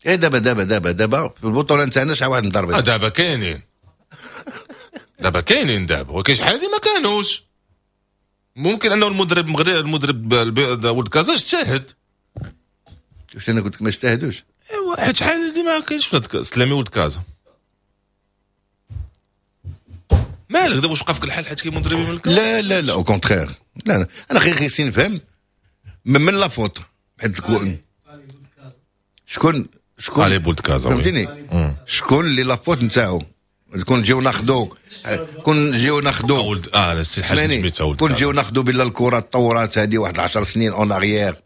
اي دابا دابا دابا دابا في البطولة نتاعنا شحال واحد مضربين؟ دابا كاينين، دابا كاينين دابا، ولكن شحال هادي ما كانوش. ممكن انه المدرب المغربي، المدرب ولد كازا اجتهد. واش انا قلت لك ما اجتهدوش؟ ايوا حيت شحال هادي ما كاينش في سلامي ولد كازا. مالك دابا واش بقى فيك الحال حيت كاين مدربين من كازا؟ لا لا لا، au contraire. لا لا، انا غير خصني نفهم من la faute، حيت شكون شكون علي ولد كازا، فهمتيني؟ شكون اللي la faute نتاعو؟ كون نجيو ناخذو، كون نجيو ناخذو ولد السي الحاج سميتو، كون نجيو ناخذو بلا الكره تطورات هذه واحد 10 سنين en arrière،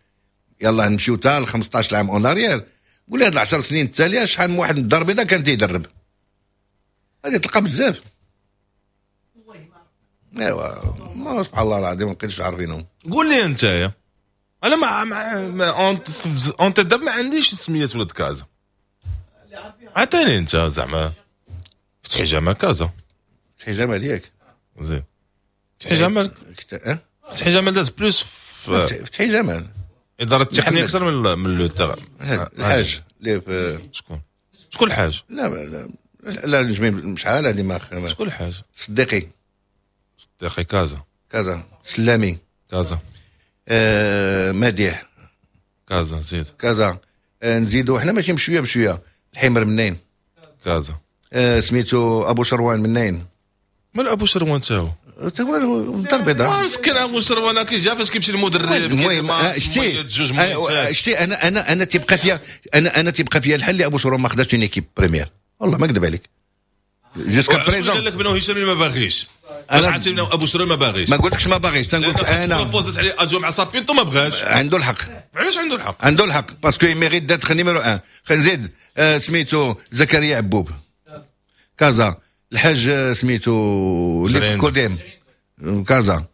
يلاه نمشيو حتى ل 15 عام en arrière، قول لي هاد 10 سنين التالية شحال من واحد من الدار البيضاء كان تيدرب؟ غادي تلقى بزاف. ايوا ما سبحان الله العظيم ما بقيتش عارفينهم. قول لي انت يا انا مع انت دابا ما عنديش سميات ولاد كازا. عطيني انت زعما فتحي جمال كازا. فتحي جمال ياك؟ زين فتحي جمال، فتحي جمال داز plus في فتحي جمال ادارة التقنية اكثر من le terrain. الحاج اللي في شكون؟ شكون الحاج؟ لا لا لا نجمي شحال هذه ما شكون الحاج؟ صديقي. صديقي كازا. كازا. سلامي كازا. مديح كازا. زيد كازا. نزيدو حنا ماشي بشوية بشوية. الحمر منين؟ كازا. سميتو ابو شروان منين؟ مال ابو شروان تاهو؟ تا هو الدار البيضاء. مسكين ابو شروان كيجي فاش كيمشي المدرب. المهم شتي شتي انا انا انا تيبقى فيا، انا تيبقى فيا الحل اللي ابو شروان ما خداش une équipe première، والله ما نكذب عليك. jusqu'à présent قال لك بانه هشام ما باغيش. انا عرفتي بانه ابو شروان ما باغيش. ما قلتلكش ما باغيش، تنقول لك انا proposات عليه adjoint مع سابينتو ما بغاش. عنده الحق. علاش عنده الحق؟ عنده الحق parce que mérite d'être numéro 1. خلينا نزيد سميتو زكريا عبوب كازا. الحاج سميتو اللي كوديم كازا.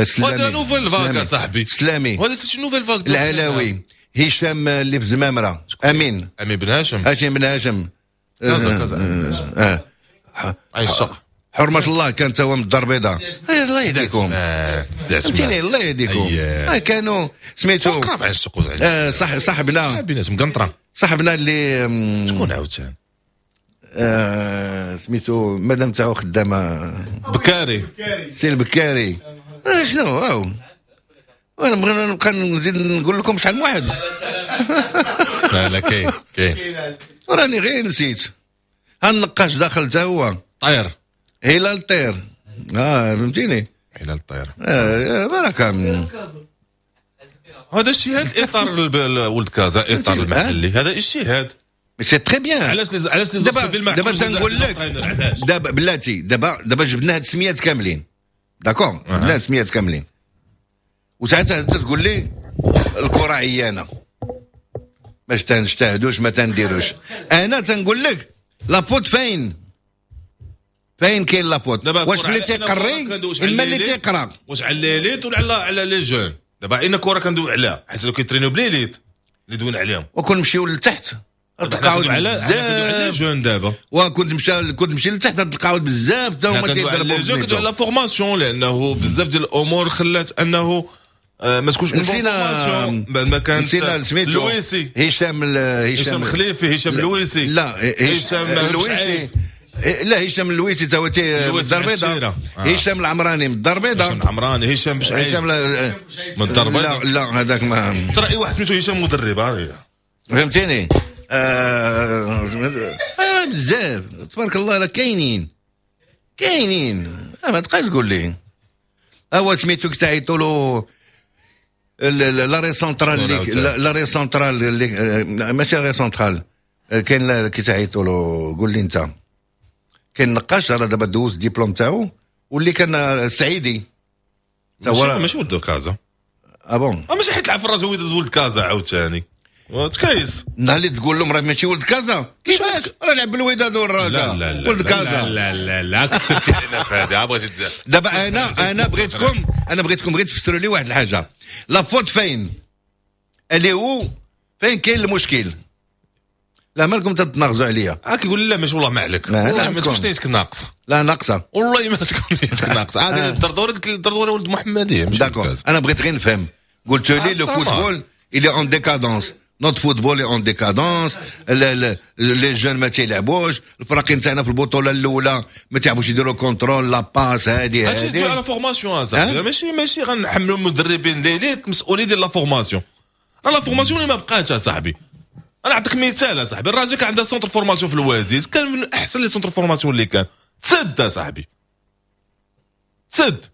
سلامي. هذا nouvelle vague صاحبي. سلامي. هذا c'est nouvelle vague. العلاوي. هشام اللي في زمامرة. امين. امين بن هاشم. هاشم بن هاشم. كازا كازا. عيشق. حرمة الله كان تا هو من الدار البيضاء. الله يهديكم. فهمتيني؟ الله يهديكم. كانوا سميتو صح صاحبنا بيناتهم قنطرة. صاحبنا اللي شكون عاوتاني؟ سميتو مادام تاعو خدامه بكاري. سي البكاري. شنو هاو؟ وانا بغينا نبقى نزيد نقول لكم شحال من واحد. لا لا كاين كاين. وراني غير نسيت. هالنقاش داخل تا هو. طير. هلال طير. فهمتيني؟ هلال طير. بركة. هذا اجتهاد اطار ولد كازا، اطار المحلي، هذا اجتهاد. c'est très bien. علاش دابا تنقول لك دابا بلاتي، دابا جبنا هاد السميات كاملين، d'accord؟ جبنا السميات كاملين، وساعتها تقول لي الكره عيانه باش تنجتهدوش ما تنديروش. انا تنقول لك la faute فين؟ فين كاين la faute؟ واش اللي تيقري اما اللي تيقرا؟ واش على l'élite ولا على les jeunes؟ دابا اين كره كندوي عليها حيت كيترينيو ب l'élite اللي دوينا عليهم، وكون نمشيو لتحت تلقاو بزاف jeunes دابا، وكنت مشى كنت نمشي لتحت تلقاو بزاف حتى هما تيضربوا les jeunes. كندوي على formation، لانه بزاف ديال الامور خلات انه ما تكونش نسينا ما كان نسينا سميتو لويسي، هشام خليفي، هشام لويسي، لا هشام اللويسي، لا هشام اللويسي تا هو من الدار البيضاء، هشام العمراني من الدار البيضاء، هشام العمراني، هشام بشعيب من الدار البيضاء. لا لا هذاك ما ترى اي واحد سميتو هشام مدرب، فهمتيني؟ راه بزاف تبارك الله، راه كاينين كاينين، ما تبقاش تقول لي هو سميتو كتعيطوا له l'arrière central، l'arrière central اللي ماشي l'arrière central، كاين كيتعيطوا له، قول لي انت كاين نقاش راه دابا دوز الدبلوم تاعو، واللي كان سعيدي ماشي ولد كازا. ah bon ماشي حيت لعب في الرجاء ولد كازا عاوتاني تكايس. النهار اللي تقول لهم راه ماشي ولد كازا، كيفاش راه لعب بالوداد والرجاء ولد كازا. لا لا لا كثرتي علينا في هذه، بغيتي تزاد. دابا انا بغيتكم، انا بغيتكم غير تفسروا لي واحد الحاجة، la faute فين اللي هو فين كاين المشكل؟ لا مالكم تتناغزوا عليا؟ كيقول لا ماشي والله ما عليك، والله ما تكونش نيتك ناقصه. لا ناقصه والله ما تكون نيتك ناقصه. هذه الدردوري قلت الدردوري ولد محمديه. d'accord، انا بغيت غير نفهم. قلت لي le football il est en décadence، notre football est en décadence، les jeunes ما تيلعبوش، الفرق نتاعنا في البطولة الاولى ما تيعرفوش يديروا contrôle، la passe، هادي هادي على formation صاحبي. ماشي غنحملوا المدربين l'élite مسؤولية ديال la formation. la formation اللي ما بقاتش اصاحبي. انا نعطيك مثال اصاحبي، الراجل كان عنده centre formation في الوازيز، كان من احسن les centres formation اللي كان، تسد اصاحبي، تسد.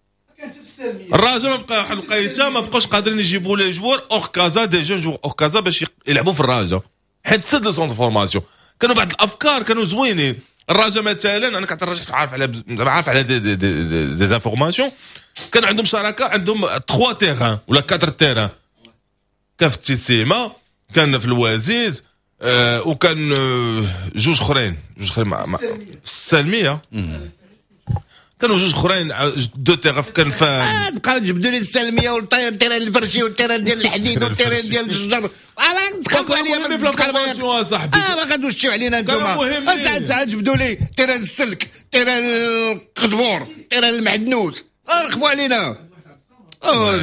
الراجل ما بقى واحد الوقيته ما بقاوش قادرين يجيبوا les joueurs hors Casa، des jeunes joueurs hors Casa باش يلعبوا في الراجا، حيت تسد le centre formation. كانوا بعض الافكار كانوا زوينين. الراجا مثلا، انا كنت الراجا عارف على عارف على des informations، كان عندهم شراكه، عندهم 3 terrains ولا 4 terrains، كان في التيسيما، كان في الوازيز، وكان جوج اخرين مع السلميه، كانوا جوج اخرين، deux terrains كان في بقاو تجبدوا لي السلمية وال terrain الفرشي وال terrain ديال الحديد وال terrain ديال الشجر، تخافوا عليا في la formation صاحبي. راه غادوشيو علينا انتوما. ساعات ساعات جبدوا لي terrain السلك، terrain القزبور، terrain المعدنوس، رخبوا علينا. لا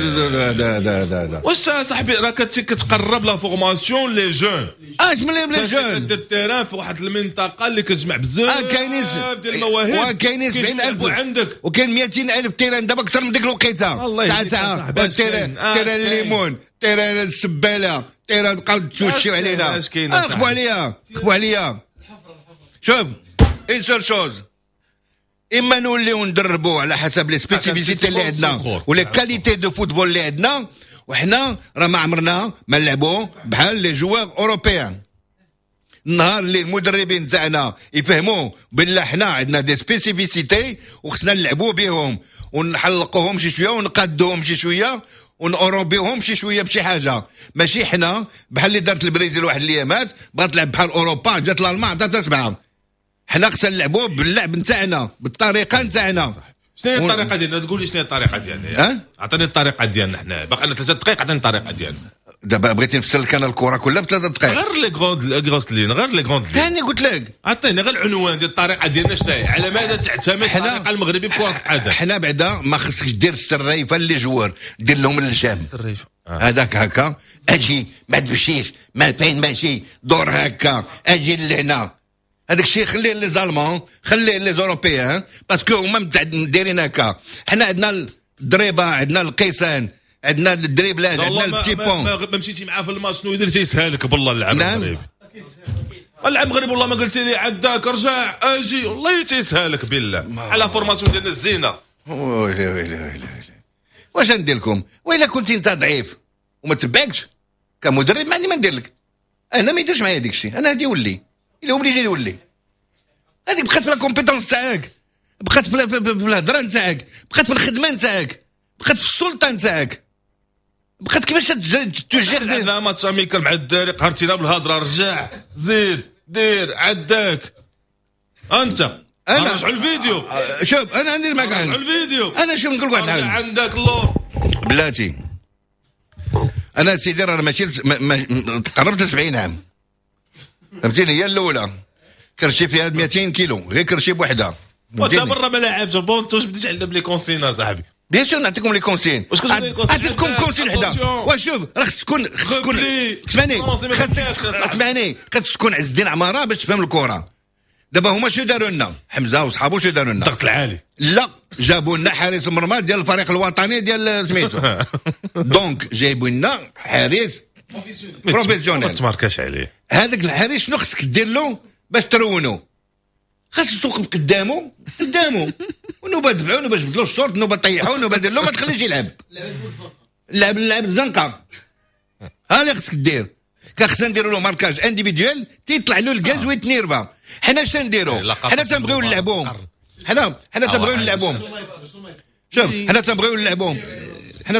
لا لا لا. واش صاحبي راه كتقرب la formation les jeunes. اش من les jeunes؟ كدير terrain في واحد المنطقة اللي كتجمع بزاف كاينين ديال المواهب. وكاينين 70000 عندك وكاين 200000 terrain دابا اكثر من ديك الوقيته. ساعة ساعة terrain، terrain الليمون، terrain السباله، terrain، بقاو توشيو علينا. خفوا عليا، خفوا عليا. شوف، une seule chose، اما نوليو ندربوا على حسب les spécificités اللي عندنا و les qualités de football اللي عندنا، وحنا راه ما عمرنا ما نلعبوا بحال les joueurs européens. النهار اللي المدربين تاعنا يفهموا بالله حنا عندنا des spécificités وخصنا نلعبوا بهم ونحلقوهم شي شوية ونقادوهم شي شوية ونأوروبيهم شي شوية بشي حاجه، ماشي حنا بحال اللي دارت البرازيل واحد الايامات، بغات تلعب بحال اوروبا، جات الالمان عطاتها سبعه. حنا خصنا نلعبوا باللعب نتاعنا، بالطريقة نتاعنا. شنو هي الطريقة ديالنا؟ تقول لي شنو هي الطريقة ديالنا؟ عطيني الطريقة ديالنا، حنا باقي لنا 3 دقائق، عطيني الطريقة ديالنا. دابا بغيتي نفسر لك انا الكره كلها ب3 دقائق؟ غير les grandes grosses lignes، غير les grandes lignes. هاني قلت لك. عطيني غير العنوان ديال الطريقة ديالنا شنو هي، على ماذا تعتمد الطريقة المغربية في كره القدم؟ حنا بعدا ما خصكش دير السريفه les joueurs، دير لهم اللجام السريفه. هذاك هكا، اجي ما تمشيش، ما فين ماشي، دور هكا، اجي لهنا. هذاك الشيء خليه les Allemands، خليه les Européens، parce que هما دايرين هكا. حنا عندنا الضريبه، عندنا القيسان، عندنا الدريبلات، عندنا ال petits ponts. ما مشيتي معاه في الماتش شنو يدير؟ تيسهلك بالله اللعب المغربي. العب مغرب والله ما قلتي لي عداك رجع اجي، والله تيسهلك بالله على formation ديالنا الزينه. ويلي ويلي ويلي ويلي، واش ندير لكم؟ وإلا كنت انت ضعيف وما تبعكش كمدرب، ما عندي ما ندير لك انا. ما يديرش معايا ديك الشيء انا. هادي يولي il est obligé يولي. هذيك بقات في la compétence تاعك، بقات في الهضرة نتاعك، بقات في الخدمة نتاعك، بقات في السلطة نتاعك، بقات كيفاش تجير. عندنا match amical مع الدراري، قهرتينا بالهضره، رجع زيد دير عداك انت. انا رجعوا الفيديو. شوف، انا عندي معك رجعوا الفيديو. انا شوف، نقول لك واحد الحاجه. عندك اللور. بلاتي، انا سيدي راه ماشي قربت 70 عام، فهمتيني؟ هي الاولى كرشي فيها 200 كيلو، غير كرشي بوحدها. وانت مرة ما لعبتش bon، واش بديت عندنا ب les consignes صاحبي؟ bien sûr نعطيكم les consignes. عطيتكم consigne وحده. وشوف، راه خصك تكون، اسمعني، خصك اسمعني، خصك تكون عز الدين عمارة باش تفهم الكره. دابا هما شنو داروا لنا؟ حمزة وصحابو شنو داروا لنا؟ الضغط العالي. لا، جابوا لنا حارس المرمى ديال الفريق الوطني ديال سميتو، donc جايبوا لنا حارس professionnel. ما تماركاش عليه. هذاك الحارس شنو خصك دير له باش ترونو؟ خاصك توقف قدامه قدامه، ونوبه دفعو، نوبه جبدلو الشورت، نوبه طيحو، نوبه دير له، ما تخليش يلعب. لعب لعب الزنقه، ها اللي خصك دير. كان خصنا نديرو له marquage individuel، تيطلع له الكاز ويتنيرفا. حنا اش نديرو؟ حنا تنبغيو نلعبو، حنا تنبغيو نلعبو. شوف، حنا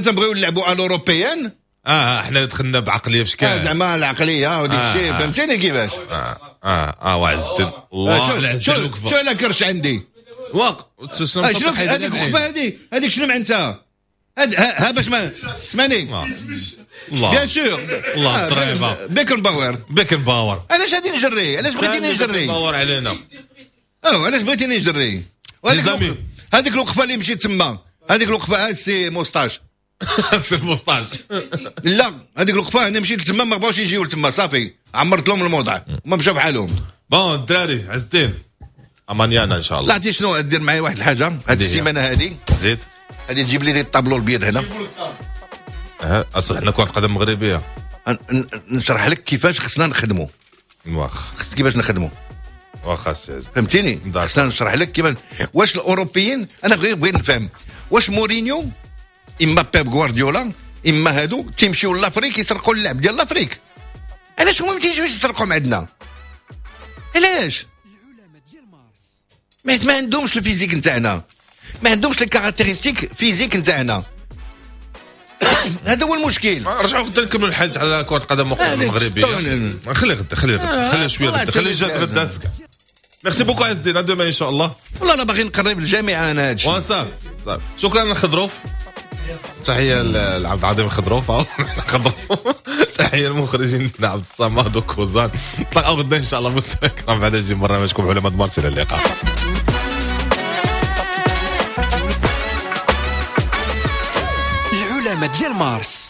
تنبغيو نلعبو à l'européenne. اه، حنا دخلنا بعقلية في شكال. زعما العقلية وديك الشيء، فهمتيني كيفاش؟ اه وعز الدين الله. شوف شوف، لا كرش عندي. واق. شنو هذيك وقفه؟ هذيك شنو معناتها؟ ها باش ما اسمعني. الله bien sûr. الله الضريبة. بيكنباور. بيكنباور. علاش غادي نجري؟ علاش بغيتيني نجري؟ بيكنباور علينا. علاش بغيتيني نجري؟ هذيك الوقفة اللي مشيت تما، هذيك الوقفة سي moustache. سي moustache. لا هذيك الوقفة انا مشيت تما ما بغاوش يجيو لتما، صافي عمرت لهم الموضع وما مشاو بحالهم. bon الدراري عز الدين امانيانا ان شاء الله. لا عرفتي شنو دير معايا واحد الحاجة هذه السيمانة هذه، زيد غادي تجيب لي الطابلو البيض هنا. اصل حنا كره قدم مغربية. نشرح لك كيفاش خصنا نخدموا. واخا كيفاش نخدموا. واخا سي، فهمتيني؟ خصنا نشرح لك كيفاش. واش الاوروبيين، انا غير بغيت نفهم واش مورينيو اما بيب غوارديولا اما هادو تيمشيو l'Afrique يسرقوا اللعب ديال l'Afrique. علاش هما ما تيجيوش يسرقوا من عندنا؟ علاش؟ ما عندهمش ال physique نتاعنا، ما عندهمش les caractéristiques physiques نتاعنا. هذا هو المشكل. رجعوا غدا نكملوا الحديث على كرة القدم المغربية. خلي غدا، خلي غدا، خلي شوية غدا، خلي جات غدا. merci beaucoup عز الدين، demain ان شاء الله. والله انا باغي نقرب الجامعة انا هادشي. وصافي صافي. شكرا للخضروف، تحية لعبد العظيم الخضروف. تحية للمخرجين عبد الصمد وكوزان. نتلاقاو غدا ان شاء الله مستمعينا بعد جي برنامجكم علماء مارس. الى اللقاء. العلماء ديال مارس.